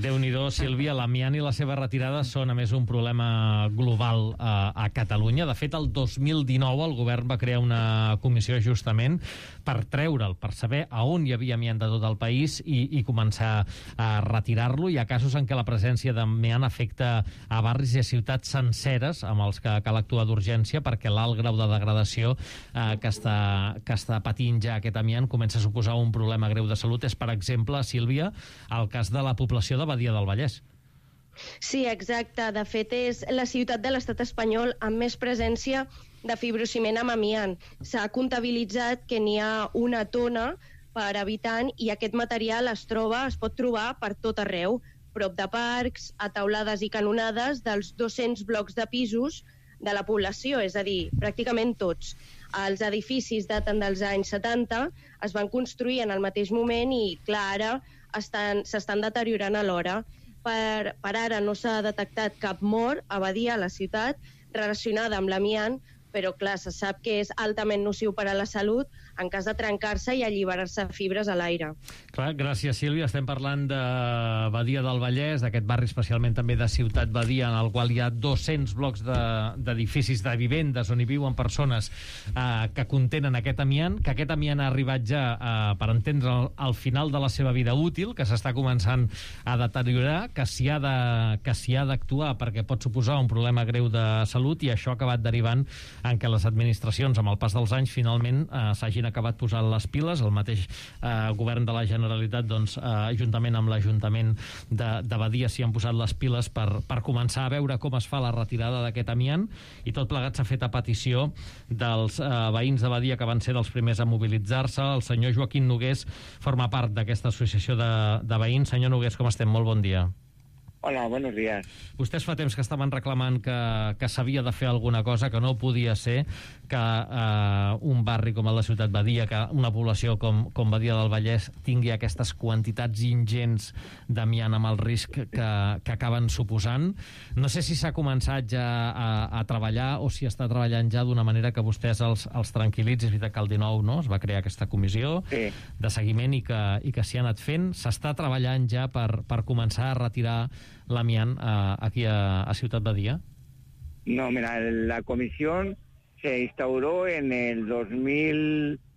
Déu-n'hi-do, Sílvia, l'amiant i la seva retirada són, a més, un problema global a Catalunya. De fet, el 2019 el govern va crear una comissió justament per treure'l, per saber a on hi havia amiant de tot el país i començar a retirar-lo. Hi ha casos en què la presència d'amiant afecta a barris i a ciutats senceres amb els que cal actuar d'urgència perquè l'alt grau de degradació que està patint ja aquest amiant comença a suposar un problema greu de salut. És, per exemple, Sílvia, el cas de la població de Badia del Vallès. Sí, exacte. De fet, és la ciutat de l'estat espanyol amb més presència de fibrociment amb amiant. S'ha comptabilitzat que n'hi ha 1 tona per habitant i aquest material es pot trobar per tot arreu, prop de parcs, a taulades i canonades dels 200 blocs de pisos de la població, és a dir, pràcticament tots. Els edificis daten dels anys 70, es van construir en el mateix moment i, clar, ara s'estan deteriorant alhora. Per ara no s'ha detectat cap mort a Badia, a la ciutat, relacionada amb l'amiant, però clar, se sap que és altament nociu per a la salut en cas de trencar-se i alliberar-se fibres a l'aire. Clar, gràcies, Sílvia. Estem parlant de Badia del Vallès, d'aquest barri especialment també de Ciutat Badia, en el qual hi ha 200 blocs d'edificis de vivendes on hi viuen persones que contenen aquest amiant, que aquest amiant ha arribat ja, per entendre, al final de la seva vida útil, que s'està començant a deteriorar, que s'hi ha d'actuar perquè pot suposar un problema greu de salut, i això ha acabat derivant en què les administracions, amb el pas dels anys, finalment s'hagin acabat posant les piles. El mateix govern de la Generalitat, doncs, juntament amb l'Ajuntament de Badia, s'hi han posat les piles per començar a veure com es fa la retirada d'aquest amiant, i tot plegat s'ha fet a petició dels veïns de Badia, que van ser dels primers a mobilitzar-se. El senyor Joaquim Nogués forma part d'aquesta associació de veïns. Senyor Nogués, com estem? Molt bon dia. Hola, buenos días. Vostès fa temps que estaven reclamant que s'havia de fer alguna cosa, que no podia ser que un barri com el de Ciutat Badia, que una població com Badia del Vallès tingui aquestes quantitats ingents d'amiant amb el risc que acaben suposant. No sé si s'ha començat ja a treballar o si està treballant ja d'una manera que vostès els tranquil·litzi. És veritat que el 19 no, es va crear aquesta comissió de seguiment i que s'hi ha anat fent. S'està treballant ja per començar a retirar l'amiant aquí a Ciutat Badia? No, mira, la comisión se instauró en el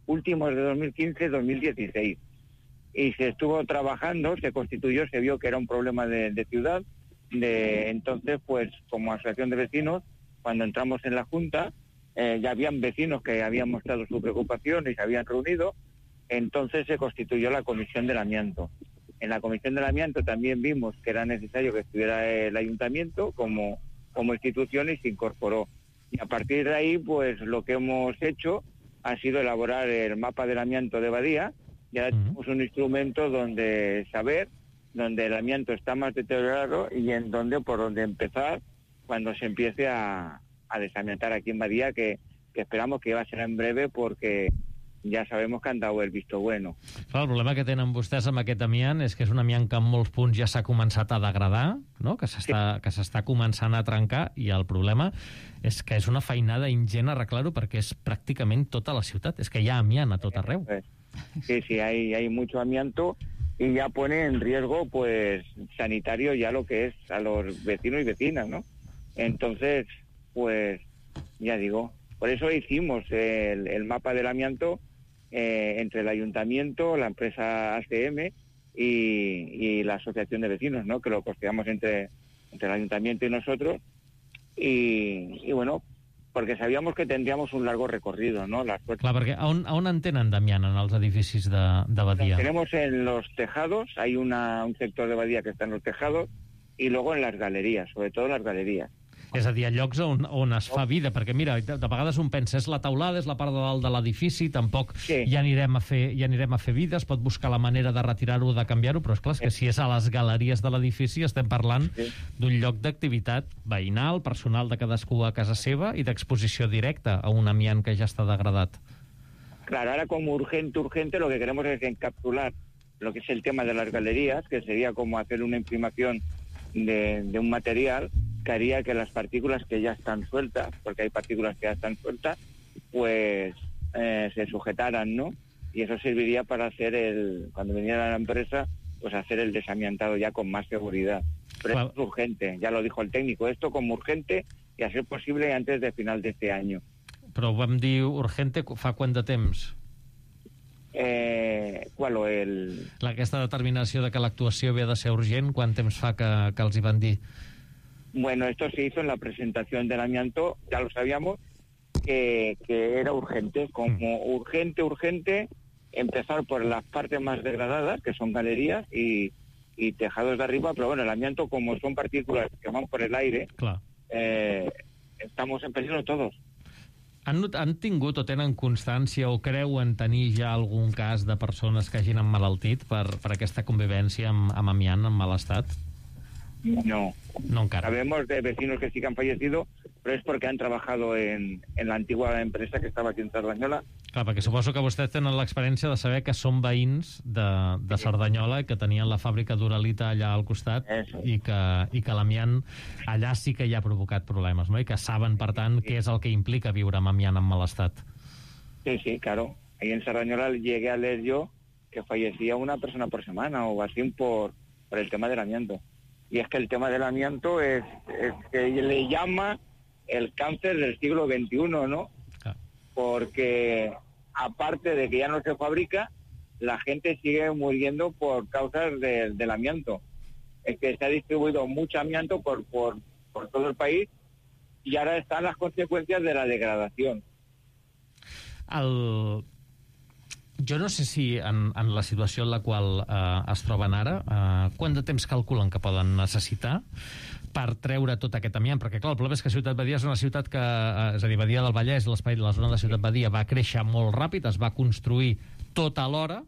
últimos de 2015-2016 y se estuvo trabajando, se constituyó, se vio que era un problema de ciudad, entonces pues como asociación de vecinos, cuando entramos en la junta, ya habían vecinos que habían mostrado su preocupación y se habían reunido, entonces se constituyó la comisión del amianto. En la comisión del amianto también vimos que era necesario que estuviera el ayuntamiento como institución y se incorporó. Y a partir de ahí, pues lo que hemos hecho ha sido elaborar el mapa del amianto de Badía. Y ahora tenemos un instrumento donde saber donde el amianto está más deteriorado y por dónde empezar cuando se empiece a desamiantar aquí en Badía, que esperamos que va a ser en breve porque ja sabem que han dado el visto bueno. Clar, el problema que tenen vostès amb aquest amiant és que és un amiant que en molts punts ja s'ha començat a degradar, no? que s'està començant a trencar, i el problema és que és una feinada ingent arreglar-ho perquè és pràcticament tota la ciutat. És que hi ha amiant a tot arreu. Sí, hay mucho amianto y ya pone en riesgo pues sanitario ya lo que es a los vecinos y vecinas, ¿no? Entonces, pues ya digo, por eso hicimos el mapa del amianto entre el ayuntamiento, la empresa ACM y la asociación de vecinos, ¿no? Que lo costeamos entre el ayuntamiento y nosotros, y bueno, porque sabíamos que tendríamos un largo recorrido, ¿no? Clar, perquè on en tenen d'amiant en els edificis de Badia? Tenemos en los tejados, hay un sector de Badia que está en los tejados, y luego en las galerías, sobre todo en las galerías. És a dir, a llocs on es fa vida, perquè mira, de vegades un pensa, és la teulada, és la part de dalt de l'edifici, tampoc hi anirem a fer vida, es pot buscar la manera de retirar-ho o de canviar-ho, però és clar, que si és a les galeries de l'edifici estem parlant d'un lloc d'activitat veïnal, personal de cadascú a casa seva i d'exposició directa a un amiant que ja està degradat. Claro, ahora como urgente, lo que queremos es encapsular lo que es el tema de las galerías, que sería como hacer una imprimación de un material que haría que las partículas que ya están sueltas, porque hay partículas que ya están sueltas, pues se sujetaran, ¿no? Y eso serviría para hacer cuando viniera la empresa, pues hacer el desamiantado ya con más seguridad. Pero esto es urgente, ya lo dijo el técnico, esto como urgente y a ser posible antes de final de este año. Però vam dir urgente fa quant de temps? Aquesta determinació de que l'actuació havia de ser urgent, quant temps fa que els hi van dir? Bueno, esto se hizo en la presentación del amianto, ya lo sabíamos, que era urgente, como urgente, empezar por las partes más degradadas, que son galerías y tejados de arriba, pero bueno, el amianto, como son partículas que van por el aire, estamos en peligro todos. Han tingut o tenen constància o creuen tenir ja algun cas de persones que hagin emmalaltit per aquesta convivència amb amiant en mal estat? No. No encara. Sabemos de vecinos que sí que han fallecido, pero es porque han trabajado en la antigua empresa que estava aquí en Cerdanyola. Clar, perquè suposo que vostès tenen l'experiència de saber que són veïns de Cerdanyola, que tenien la fàbrica d'Uralita allà al costat, i que l'amiant allà sí que hi ha provocat problemes, no? I que saben, per tant, què és el que implica viure amb amiant en mal estat. Sí, claro. Ahí en Cerdanyola llegué a leer yo que fallecía una persona por semana o así por el tema del amianto. Y es que el tema del amianto es que le llama el cáncer del siglo XXI, ¿no? Ah. Porque aparte de que ya no se fabrica, la gente sigue muriendo por causas del amianto. Es que se ha distribuido mucho amianto por todo el país y ahora están las consecuencias de la degradación. Jo no sé si en la situació en la qual es troben ara, quant de temps calculen que poden necessitar per treure tot aquest amiant, perquè clar, el problema és que Ciutat Badia és una ciutat que, és a dir, Badia del Vallès, l'espai de la zona de Ciutat Badia va créixer molt ràpid, es va construir tot alhora,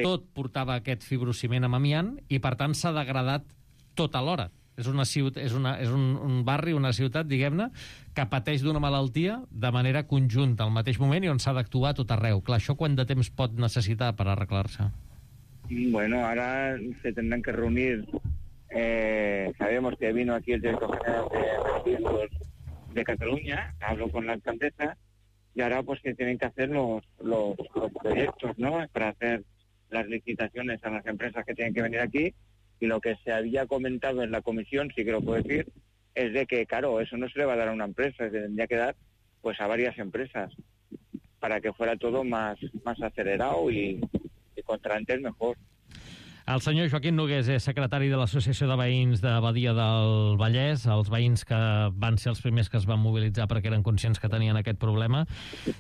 tot portava aquest fibrociment amb amiant i per tant s'ha degradat tot alhora. És un barri, una ciutat, diguem-ne, que pateix d'una malaltia de manera conjunta al mateix moment i on s'ha d'actuar a tot arreu. Clar, això quant de temps pot necessitar per arreglar-se? Bueno, ahora se tendrán que reunir. Sabemos que vino aquí el director general de Cataluña, habló con la alcaldesa y ahora pues que tienen que hacer los proyectos, ¿no? Para hacer las licitaciones a las empresas que tienen que venir aquí. Y lo que se había comentado en la comisión, sí que lo puedo decir, es de que, claro, eso no se le va a dar a una empresa, se tendría que dar pues a varias empresas para que fuera todo más acelerado y contra antes mejor. El senyor Joaquim Nogués és secretari de l'Associació de Veïns de Badia del Vallès, els veïns que van ser els primers que es van mobilitzar perquè eren conscients que tenien aquest problema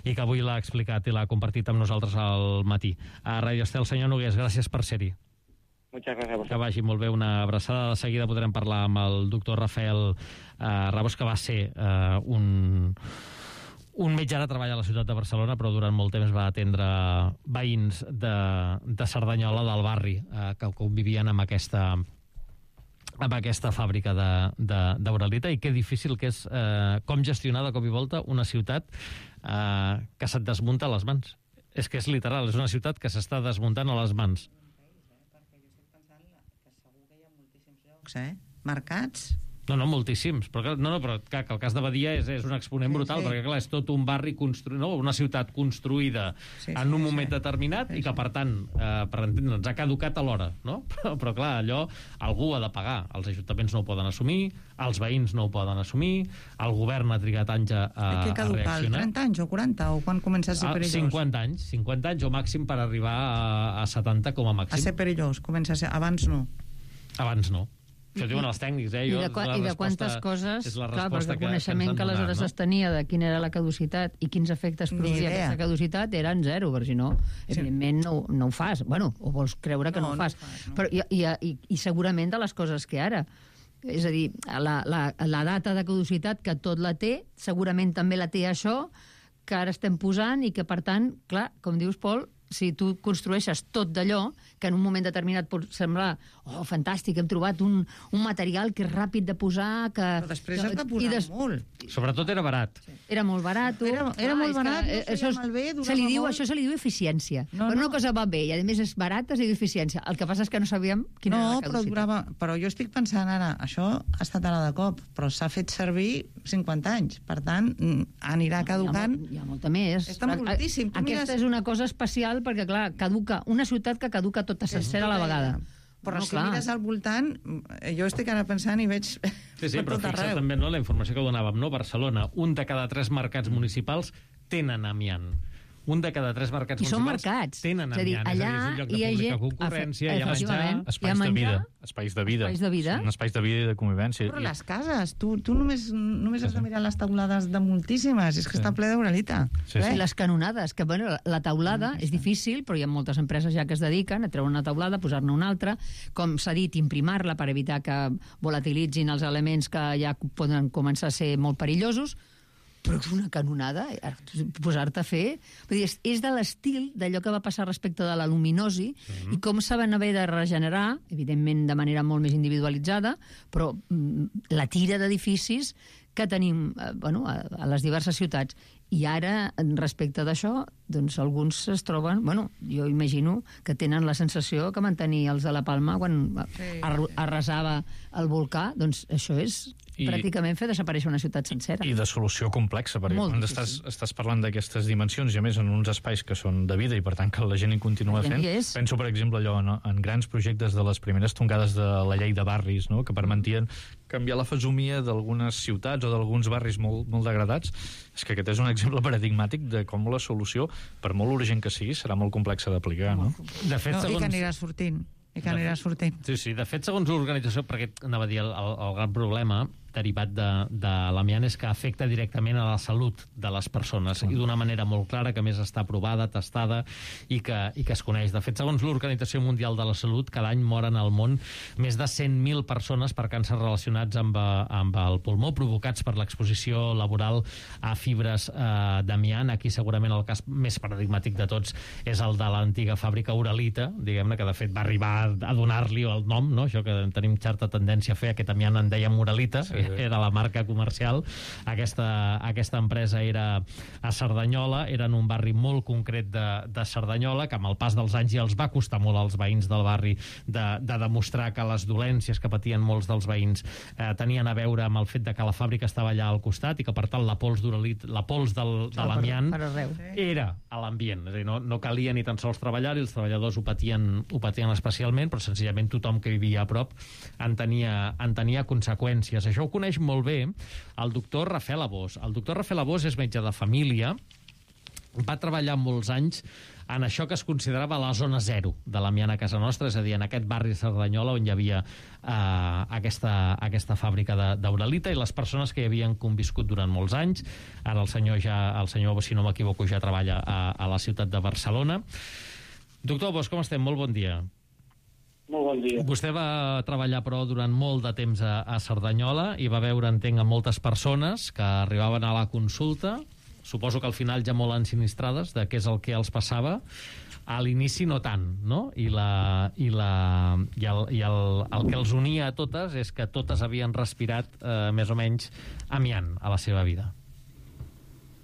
i que avui l'ha explicat i l'ha compartit amb nosaltres al matí. A Ràdio Estel, senyor Nogués, gràcies per ser-hi. Muchas gracias a vosotros. Que vagi molt bé, una abraçada. De seguida podrem parlar amb el doctor Rafael Rabós, que va ser un metge ara treballa a la ciutat de Barcelona, però durant molt temps va atendre veïns de Cerdanyola, del barri, que convivien amb aquesta fàbrica d'Uralita, i que difícil que és com gestionar de cop i volta una ciutat que se't desmunta a les mans. És que és literal, és una ciutat que s'està desmuntant a les mans. Marcats? No, moltíssims. Però que el cas de Badia és un exponent brutal, perquè clar, és tot un barri construït, no? Una ciutat construïda en un moment determinat i que, per tant, per entendre'ns, ha caducat alhora, no? Però clar, allò algú ha de pagar. Els ajuntaments no ho poden assumir, els veïns no ho poden assumir, el govern ha trigat anys a reaccionar. 30 anys o 40? O quan comença a ser perillós? 50 anys o màxim per arribar a 70 com a màxim. A ser perillós, comença a ser... Abans no. Abans no. Això diuen els tècnics, I de quantes coses, clar, perquè el coneixement que aleshores es tenia de quina era la caducitat i quins efectes produïa aquesta caducitat eren zero, perquè si no, evidentment no ho fas. Bueno, o vols creure que no ho fas. Però, i segurament de les coses que ara. És a dir, la data de caducitat, que tot la té, segurament també la té això, que ara estem posant i que, per tant, clar, com dius, Pol, si tu construeixes tot d'allò, que en un moment determinat pot semblar fantàstic, hem trobat un material que és ràpid de posar... Però després has de posar molt. Sobretot era barat. Era molt barat. Era molt barat, això se li diu eficiència. Quan una cosa va bé i a més és barata, es diu eficiència. El que passa és que no sabíem quina era la caducitat. Però jo estic pensant ara, això ha estat ara de cop, però s'ha fet servir 50 anys. Per tant, anirà caducant... Hi ha molta més. Està moltíssim. Aquesta és una cosa especial perquè, clar, caduca una ciutat que caduca tota sencera a la vegada. Però si mires al voltant, jo estic ara pensant i veig Sí, però fixa't també la informació que donàvem, no? Barcelona, 1 de cada 3 mercats municipals tenen amiant. 1 de cada 3 mercats municipals tenen amiant. Allà hi ha gent... concurrència, hi ha menjar... Espais de vida. Espais de vida. Són espais de vida i de convivència. Però les cases, tu només has de mirar les taulades de moltíssimes, és que està ple d'Uralita. I les canonades, que bueno, la taulada és difícil, però hi ha moltes empreses ja que es dediquen a treure una taulada, posar-ne una altra, com s'ha dit, imprimar-la per evitar que volatilitzin els elements que ja poden començar a ser molt perillosos. però és una canonada, posar-te a fer... Vull dir, és de l'estil d'allò que va passar respecte de l'aluminosi i com se van haver de regenerar, evidentment de manera molt més individualitzada, però la tira d'edificis que tenim a les diverses ciutats. I ara, respecte d'això, doncs alguns es troben... jo imagino que tenen la sensació que van tenir els de la Palma quan arrasava el volcà. Doncs això és pràcticament fer desaparèixer una ciutat sencera. I de solució complexa, perquè quan estàs parlant d'aquestes dimensions, i a més en uns espais que són de vida i per tant que la gent hi continua fent. Penso, per exemple, allò en grans projectes de les primeres tongades de la llei de barris, no?, que permetien canviar la fesomia d'algunes ciutats o d'alguns barris molt, molt degradats. És que aquest és un exemple paradigmàtic de com la solució, per molt urgent que sigui, serà molt complexa d'aplicar, no? De fet, I que anirà sortint. Sí, de fet, segons l'organització, perquè anava a dir el gran problema derivat de l'amiant és que afecta directament a la salut de les persones i d'una manera molt clara, que més està provada, testada i que es coneix. De fet, segons l'Organització Mundial de la Salut, cada any moren al món més de 100.000 persones per càncers relacionats amb el pulmó, provocats per l'exposició laboral a fibres d'amiant. Aquí segurament el cas més paradigmàtic de tots és el de l'antiga fàbrica Uralita, diguem-ne, que de fet va arribar a donar-li el nom, no? Això que tenim certa tendència a fer, aquest amiant en dèiem Uralita, era la marca comercial. Aquesta empresa era a Cerdanyola, era en un barri molt concret de Cerdanyola, que amb el pas dels anys ja els va costar molt als veïns del barri de demostrar que les dolències que patien molts dels veïns tenien a veure amb el fet de que la fàbrica estava allà al costat i que per tant la pols de l'amiant era a l'ambient. És a dir, no calia ni tan sols treballar i els treballadors ho patien especialment, però senzillament tothom que vivia a prop en tenia conseqüències. Això ho coneix molt bé el doctor Rafael Abós. El doctor Rafael Abós és metge de família, va treballar molts anys en això que es considerava la zona zero de l'amiant a casa nostra, és a dir, en aquest barri de Cerdanyola on hi havia aquesta fàbrica d'Uralita i les persones que hi havien conviscut durant molts anys. Ara el senyor, si no m'equivoco, ja treballa a la ciutat de Barcelona. Doctor Abós, com estem? Molt bon dia. Molt bon dia. Vostè va treballar, però, durant molt de temps a Cerdanyola i va veure, entenc, a moltes persones que arribaven a la consulta, suposo que al final ja molt ensinistrades de què és el que els passava. A l'inici no tant, no? I el que els unia a totes és que totes havien respirat més o menys amiant a la seva vida.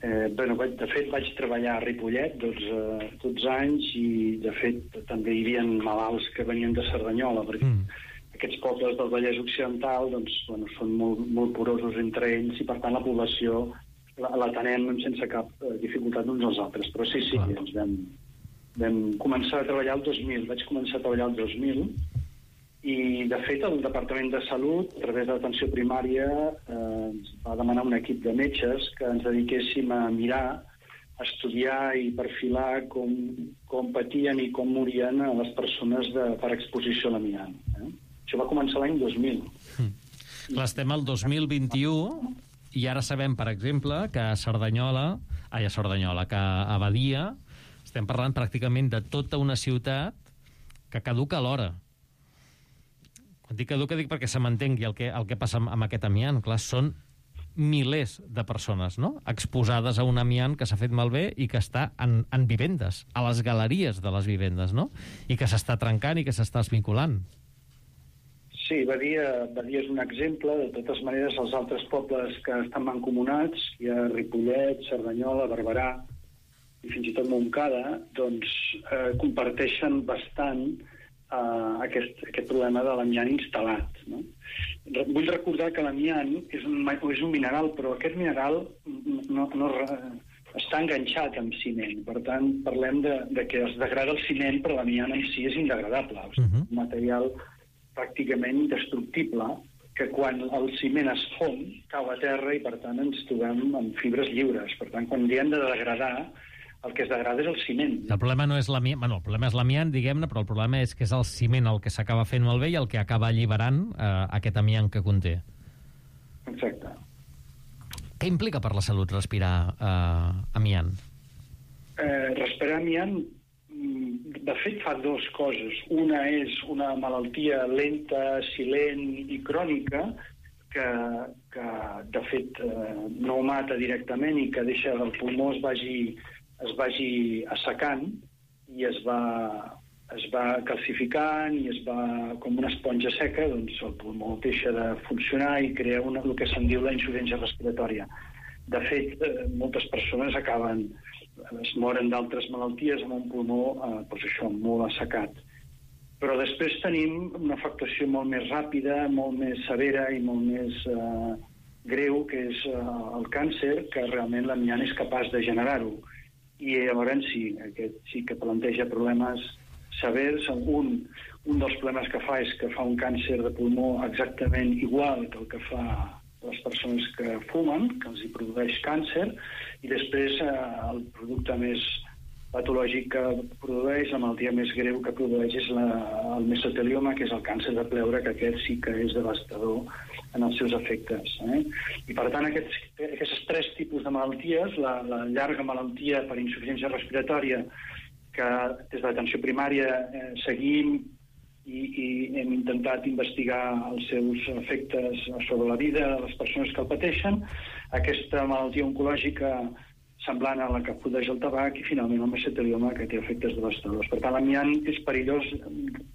De fet vaig treballar a Ripollet 12 anys i de fet també hi havia malalts que venien de Cerdanyola, perquè aquests pobles del Vallès Occidental són molt porosos entre ells i per tant la població l'atenem sense cap dificultat uns als altres, però sí, ens vam començar a treballar el 2000, vaig començar a treballar el 2000 i de fet el Departament de Salut a través de l'atenció primària ens va demanar un equip de metges que ens dediquéssim a mirar, a estudiar i perfilar com patien i com morien les persones per exposició a l'amiant. Això va començar l'any 2000. Clar, estem al 2021 i ara sabem, per exemple, que a Badia estem parlant pràcticament de tota una ciutat que caduca a l'hora. Quan dic caduca dic perquè se m'entengui el que passa amb aquest amiant. Clar, són milers de persones, no?, exposades a un amiant que s'ha fet malbé i que està en vivendes, a les galeries de les vivendes, no?, i que s'està trencant i que s'està esmicolant. Sí, Badia és un exemple. De totes maneres, els altres pobles que estan mancomunats, hi ha Ripollet, Cerdanyola, Barberà i fins i tot Montcada, doncs comparteixen bastant aquest problema de l'amiant instal·lat, no? Vull recordar que l'amiant és un mineral, però aquest mineral no està enganxat amb ciment. Per tant, parlem de que es degrada el ciment, però l'amiant en si és indegradable. Un material pràcticament indestructible que quan el ciment es fon cau a terra i per tant ens trobem amb fibres lliures. Per tant, quan diem de degradar, el que es degrada és el ciment. El problema no és l'amiant, el problema és l'amiant, diguem-ne, però el problema és que és el ciment el que s'acaba fent malbé i el que acaba alliberant aquest amiant que conté. Exacte. Què implica per la salut respirar amiant? Respirar amiant, de fet, fa dues coses. Una és una malaltia lenta, silent i crònica, que de fet no ho mata directament i que deixa que el pulmó es vagi assecant i es va calcificant i es va com una esponja seca, doncs el pulmó deixa de funcionar i crea el que se'n diu la insuficiència respiratòria. De fet, moltes persones es moren d'altres malalties amb un pulmó molt assecat. Però després tenim una afectació molt més ràpida, molt més severa i molt més greu, que és el càncer, que realment l'amiant és capaç de generar-ho. I llavors sí, aquest sí que planteja problemes severs. Un dels problemes que fa és que fa un càncer de pulmó exactament igual que el que fa les persones que fumen, que els hi produeix càncer, i després el producte més patològic que produeix, la malaltia més greu que produeix és el mesotelioma, que és el càncer de pleure, que aquest sí que és devastador en els seus efectes. I per tant, aquests 3 tipus de malalties, la llarga malaltia per insuficiència respiratòria, que des de l'atenció primària seguim i hem intentat investigar els seus efectes sobre la vida de les persones que el pateixen, aquesta malaltia oncològica semblant a la que produeix el tabac i finalment el mesotelioma, que té efectes devastadors. Per tant, l'amiant és perillós,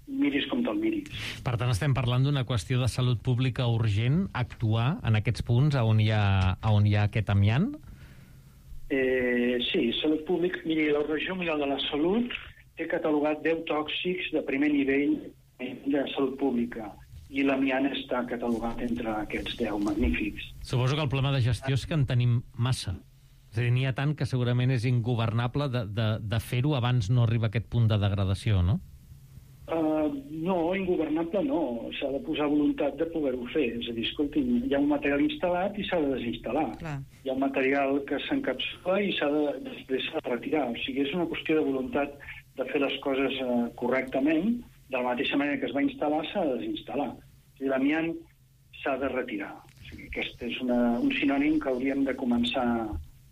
miris com te'l miris. Per tant, estem parlant d'una qüestió de salut pública urgent, actuar en aquests punts on hi ha aquest amiant? Sí, salut pública. Miri, l'Organització Mundial de la Salut té catalogat 10 tòxics de primer nivell de salut pública i l'amiant està catalogat entre aquests 10 magnífics. Suposo que el problema de gestió és que en tenim massa. És a dir, n'hi ha tant que segurament és ingobernable de fer-ho abans no arriba a aquest punt de degradació, no? No, ingobernable no. S'ha de posar voluntat de poder-ho fer. És a dir, escolti, hi ha un material instal·lat i s'ha de desinstal·lar. Clar. Hi ha un material que s'encapsula i després s'ha de retirar. O sigui, és una qüestió de voluntat de fer les coses correctament. De la mateixa manera que es va instal·lar, s'ha de desinstal·lar. O sigui, l'amiant s'ha de retirar. O sigui, aquest és un sinònim que hauríem de començar a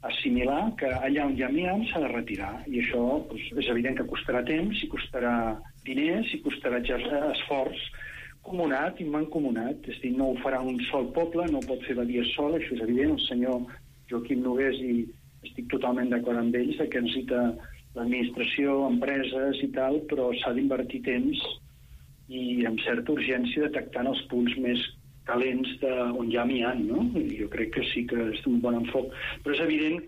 assimilar, que allà on hi ha amiant s'ha de retirar. I això és evident que costarà temps, i costarà diners, i costarà esforç comunat i mancomunat. És a dir, no ho farà un sol poble, no ho pot fer Badia sol, això és evident. El senyor Joaquim Nogués, i estic totalment d'acord amb ells, que necessita l'administració, empreses i tal, però s'ha d'invertir temps i amb certa urgència detectant els punts més calents on hi ha amiant, no? Jo crec que sí que és un bon enfoc. Però és evident,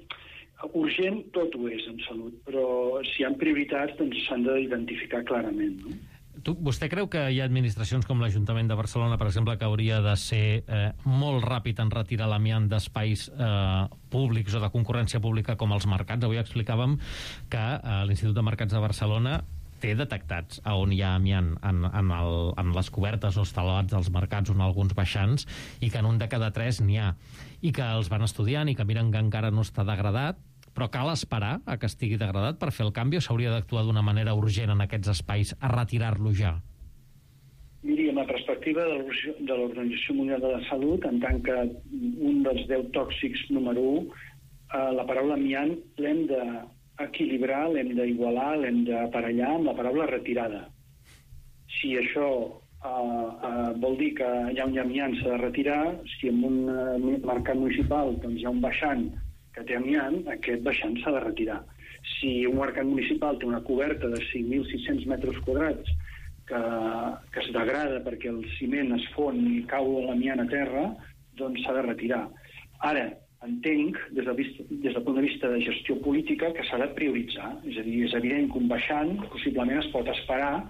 urgent tot ho és en salut, però si hi ha prioritats doncs s'han d'identificar clarament, no? Vostè creu que hi ha administracions com l'Ajuntament de Barcelona, per exemple, que hauria de ser molt ràpid en retirar l'amiant d'espais públics o de concurrència pública com els mercats? Avui explicàvem que l'Institut de Mercats de Barcelona té detectats on hi ha amiant en les cobertes o estelats dels mercats o en alguns baixants, i que en un de cada 3 n'hi ha, i que els van estudiant i que miren que encara no està degradat, però cal esperar a que estigui degradat per fer el canvi, o s'hauria d'actuar d'una manera urgent en aquests espais a retirar-lo ja? Miri, amb la perspectiva de l'Organització Mundial de la Salut, en tant que un dels 10 tòxics número 1, la paraula amiant l'hem d'equilibrar, l'hem d'igualar, l'hem d'aparellar amb la paraula retirada. Si això vol dir que allà on hi ha amiant s'ha de retirar, si en un mercat municipal doncs, hi ha un baixant que té amiant, aquest baixant s'ha de retirar. Si un mercat municipal té una coberta de 5.600 metres quadrats que es degrada perquè el ciment es fon i cau l'amiant a terra, doncs s'ha de retirar. Ara, entenc, des del punt de vista de gestió política, que s'ha de prioritzar. És a dir, és evident que un baixant possiblement es pot esperar,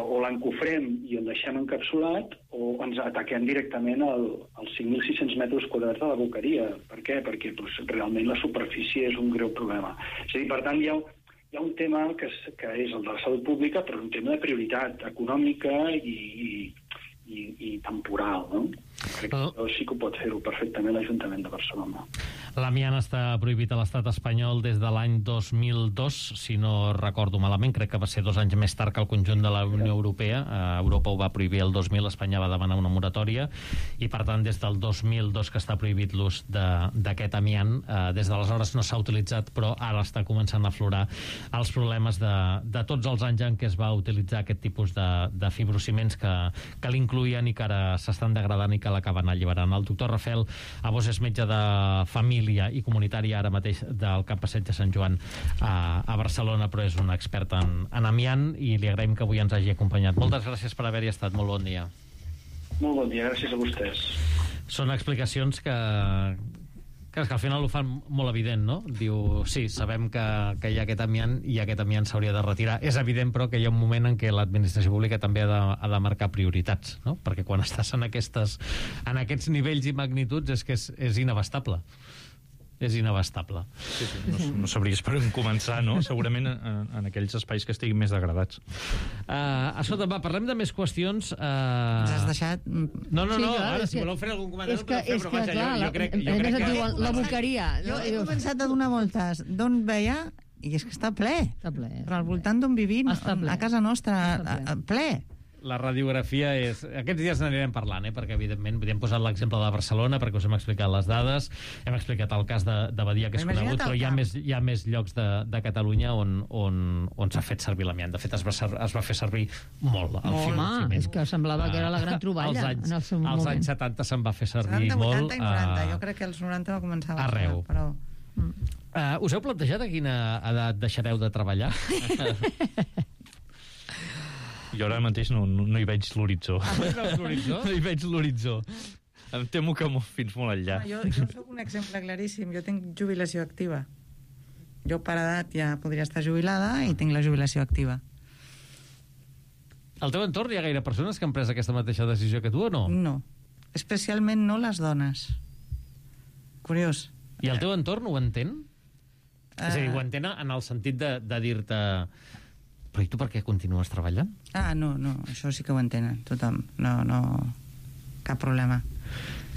o l'encofrem i el deixem encapsulat, o ens ataquem directament als 5.600 metres quadrats de la boqueria. Per què? Perquè realment la superfície és un greu problema. És a dir, per tant, hi ha un tema que és el de la salut pública, però un tema de prioritat econòmica i temporal, no? Crec que sí que ho pot fer-ho perfectament l'Ajuntament de Barcelona. L'amiant està prohibit a l'estat espanyol des de l'any 2002, si no recordo malament, crec que va ser 2 anys més tard que el conjunt de la Unió Europea. Europa ho va prohibir el 2000, Espanya va demanar una moratòria, i per tant des del 2002 que està prohibit l'ús d'aquest amiant. Des d'aleshores no s'ha utilitzat, però ara està començant a aflorar els problemes de tots els anys en què es va utilitzar aquest tipus de fibrociments que l'incluïen i que ara s'estan degradant i que l'acaben alliberant. El doctor Rafel Abós és metge de família i comunitari ara mateix del Camp Passeig de Sant Joan a Barcelona, però és un expert en amiant, i li agraïm que avui ens hagi acompanyat. Moltes gràcies per haver-hi estat. Molt bon dia. Molt bon dia, gràcies a vostès. Són explicacions que al final ho fan molt evident, no? Diu, sí, sabem que hi ha aquest amiant i aquest amiant s'hauria de retirar. És evident, però, que hi ha un moment en què l'administració pública també ha de marcar prioritats, no? Perquè quan estàs en aquests nivells i magnituds és que és inabastable. És inabastable. Sí, no sabries per on començar, no? Segurament en aquells espais que estiguin més degradats. Escolta, va, parlem de més qüestions. Ens has deixat... No, ara, si voleu fer algun comentari... És que, clar, jo crec que... La boqueria. Jo he començat a donar voltes d'on veia, i és que està ple. Està ple. Però al voltant d'on vivim, a casa nostra, ple. La radiografia és... Aquests dies n'anirem parlant, perquè evidentment hem posat l'exemple de Barcelona perquè us hem explicat les dades, hem explicat el cas de Badia, que és conegut, però hi ha més llocs de Catalunya on s'ha fet servir l'amiant. De fet, es va fer servir molt. Home, és que semblava que era la gran troballa en el seu moment. Als anys 70 se'n va fer servir 70, molt. 80 i 90. Jo crec que als 90 va començar a arreu. Però... Us heu plantejat a quina edat deixareu de treballar? Jo ara mateix no hi veig l'horitzó. No hi veig l'horitzó. Em temo que fins molt enllà. Jo soc un exemple claríssim. Jo tinc jubilació activa. Jo per edat ja podria estar jubilada i tinc la jubilació activa. Al teu entorn hi ha gaire persones que han pres aquesta mateixa decisió que tu o no? No. Especialment no les dones. Curiós. I el teu entorn ho entén? És a dir, ho entén en el sentit de dir-te... Però i tu per què continues treballant? No, això sí que ho entenen, tothom. No, cap problema.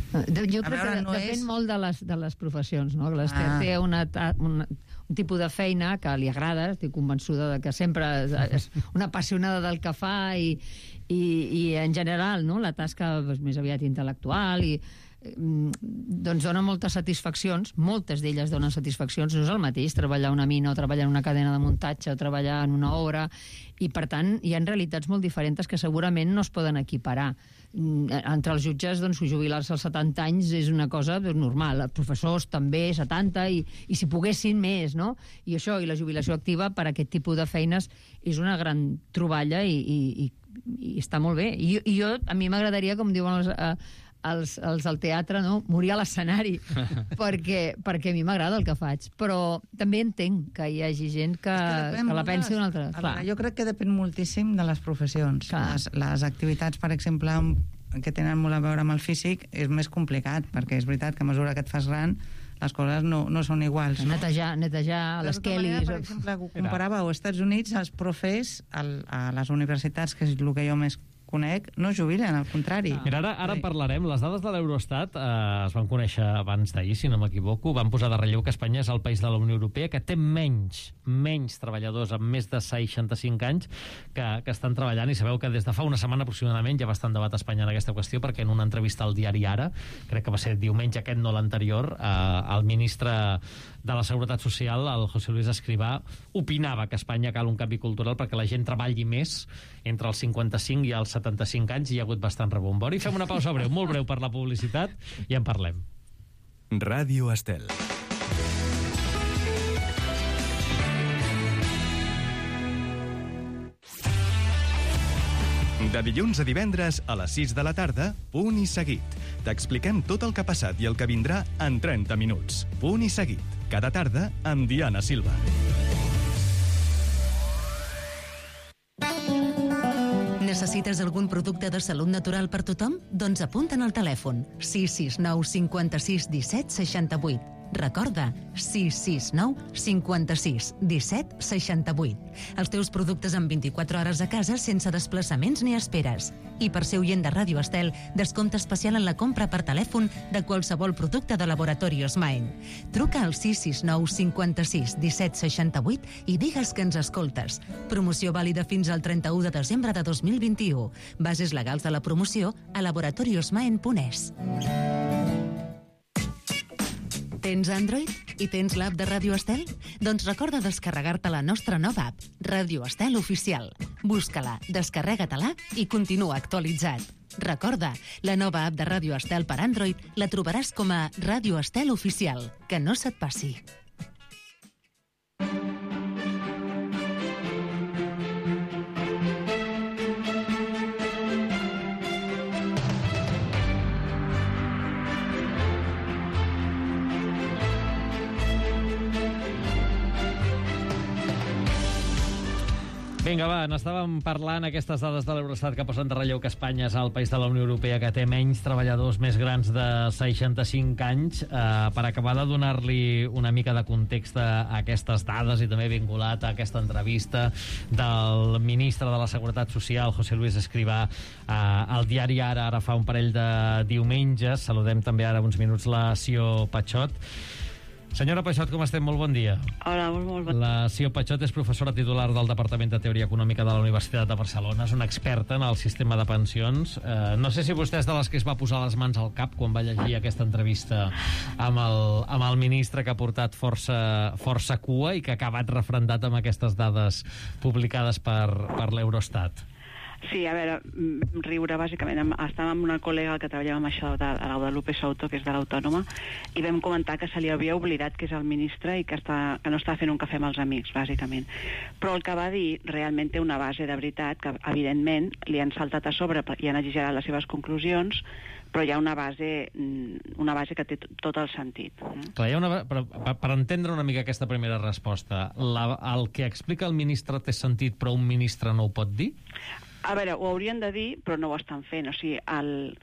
Jo crec que depèn molt de les professions, no? Té un tipus de feina que li agrada, estic convençuda de que sempre és una apassionada del que fa i en general, no? La tasca més aviat intel·lectual i doncs dona moltes satisfaccions, moltes d'elles donen satisfaccions, no és el mateix treballar a una mina o treballar en una cadena de muntatge o treballar en una obra, i per tant hi ha realitats molt diferents que segurament no es poden equiparar. Entre els jutges, doncs, jubilar-se als 70 anys és una cosa normal, els professors també 70 i si poguessin més, no? I això, i la jubilació activa per a aquest tipus de feines és una gran troballa i està molt bé. I jo, a mi m'agradaria, com diuen els del teatre, no? Morir a l'escenari, perquè a mi m'agrada el que faig, però també entenc que hi hagi gent que la pensi d'una altra. Jo crec que depèn moltíssim de les professions. Les activitats, per exemple, que tenen molt a veure amb el físic, és més complicat, perquè és veritat que a mesura que et fas gran les coses no són iguals. Netejar les quelis. Per exemple, comparava als Estats Units, els profes a les universitats, que és el que jo més conec, no jubilen, al contrari. Mira, ara en parlarem. Les dades de l'Eurostat es van conèixer abans d'ahir, si no m'equivoco. Van posar de relleu que Espanya és el país de la Unió Europea que té menys treballadors amb més de 65 anys que estan treballant, i sabeu que des de fa una setmana aproximadament ja va estar en debat a Espanya en aquesta qüestió, perquè en una entrevista al diari Ara, crec que va ser diumenge aquest, no l'anterior, el ministre de la Seguretat Social, el José Luis Escrivá, opinava que a Espanya cal un canvi cultural perquè la gent treballi més entre els 55 i els 75 anys, i hi ha hagut bastant rebombori. Fem una pausa breu, molt breu per la publicitat, i en parlem. Ràdio Estel. De dilluns a divendres a les 6 de la tarda, Punt i Seguit. T'expliquem tot el que ha passat i el que vindrà en 30 minuts. Punt i Seguit. Cada tarda amb Diana Silva. Necessites algun producte de salut natural per tothom? Doncs apunta'n al telèfon 669 56 17 68. Recorda, 669 56 17 68. Els teus productes en 24 hores a casa sense desplaçaments ni esperes. I per ser oient de Ràdio Estel, descompte especial en la compra per telèfon de qualsevol producte de Laboratorios Maen. Truca al 669 56 17 68 i digues que ens escoltes. Promoció vàlida fins al 31 de desembre de 2021. Bases legals de la promoció a laboratoriosmaen.es. Tens Android i tens l'app de Ràdio Estel? Doncs recorda descarregar-te la nostra nova app, Ràdio Estel Oficial. Busca-la, descarrega-te-la i continua actualitzat. Recorda, la nova app de Ràdio Estel per Android la trobaràs com a Ràdio Estel Oficial. Que no se't passi. Vinga, va, n'estàvem parlant aquestes dades de l'Eurostat que posen de relleu que Espanya és el país de la Unió Europea que té menys treballadors més grans de 65 anys. Per acabar de donar-li una mica de context a aquestes dades i també vinculat a aquesta entrevista del ministre de la Seguretat Social, José Luis Escrivá, al diari Ara fa un parell de diumenges. Saludem també ara uns minuts la Sió Pachot. Senyora Pachot, com estem? Molt bon dia. Hola, molt bon dia. La Sió Pachot és professora titular del Departament de Teoria Econòmica de la Universitat de Barcelona. És una experta en el sistema de pensions. No sé si vostè és de les que es va posar les mans al cap quan va llegir aquesta entrevista amb el ministre, que ha portat força cua i que ha acabat refrendat amb aquestes dades publicades per l'Eurostat. Sí, a veure, riure, bàsicament. Estàvem amb una col·lega que treballava amb això de l'Audalupe Souto, que és de l'Autònoma, i vam comentar que se li havia oblidat que és el ministre i que no estava fent un cafè amb els amics, bàsicament. Però el que va dir realment té una base de veritat, que evidentment li han saltat a sobre i han exagerat les seves conclusions, però hi ha una base que té tot el sentit. Clar, per entendre una mica aquesta primera resposta, el que explica el ministre té sentit, però un ministre no ho pot dir? A veure, ho haurien de dir, però no ho estan fent. O sigui,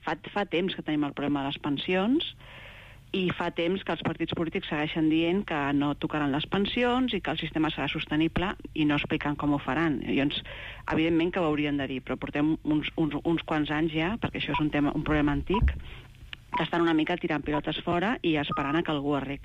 fa temps que tenim el problema de les pensions i fa temps que els partits polítics segueixen dient que no tocaran les pensions i que el sistema serà sostenible i no expliquen com ho faran. Llavors, evidentment que ho haurien de dir, però portem uns quants anys ja, perquè això és un problema antic, que estan una mica tirant pilotes fora i esperant a que algú arregli.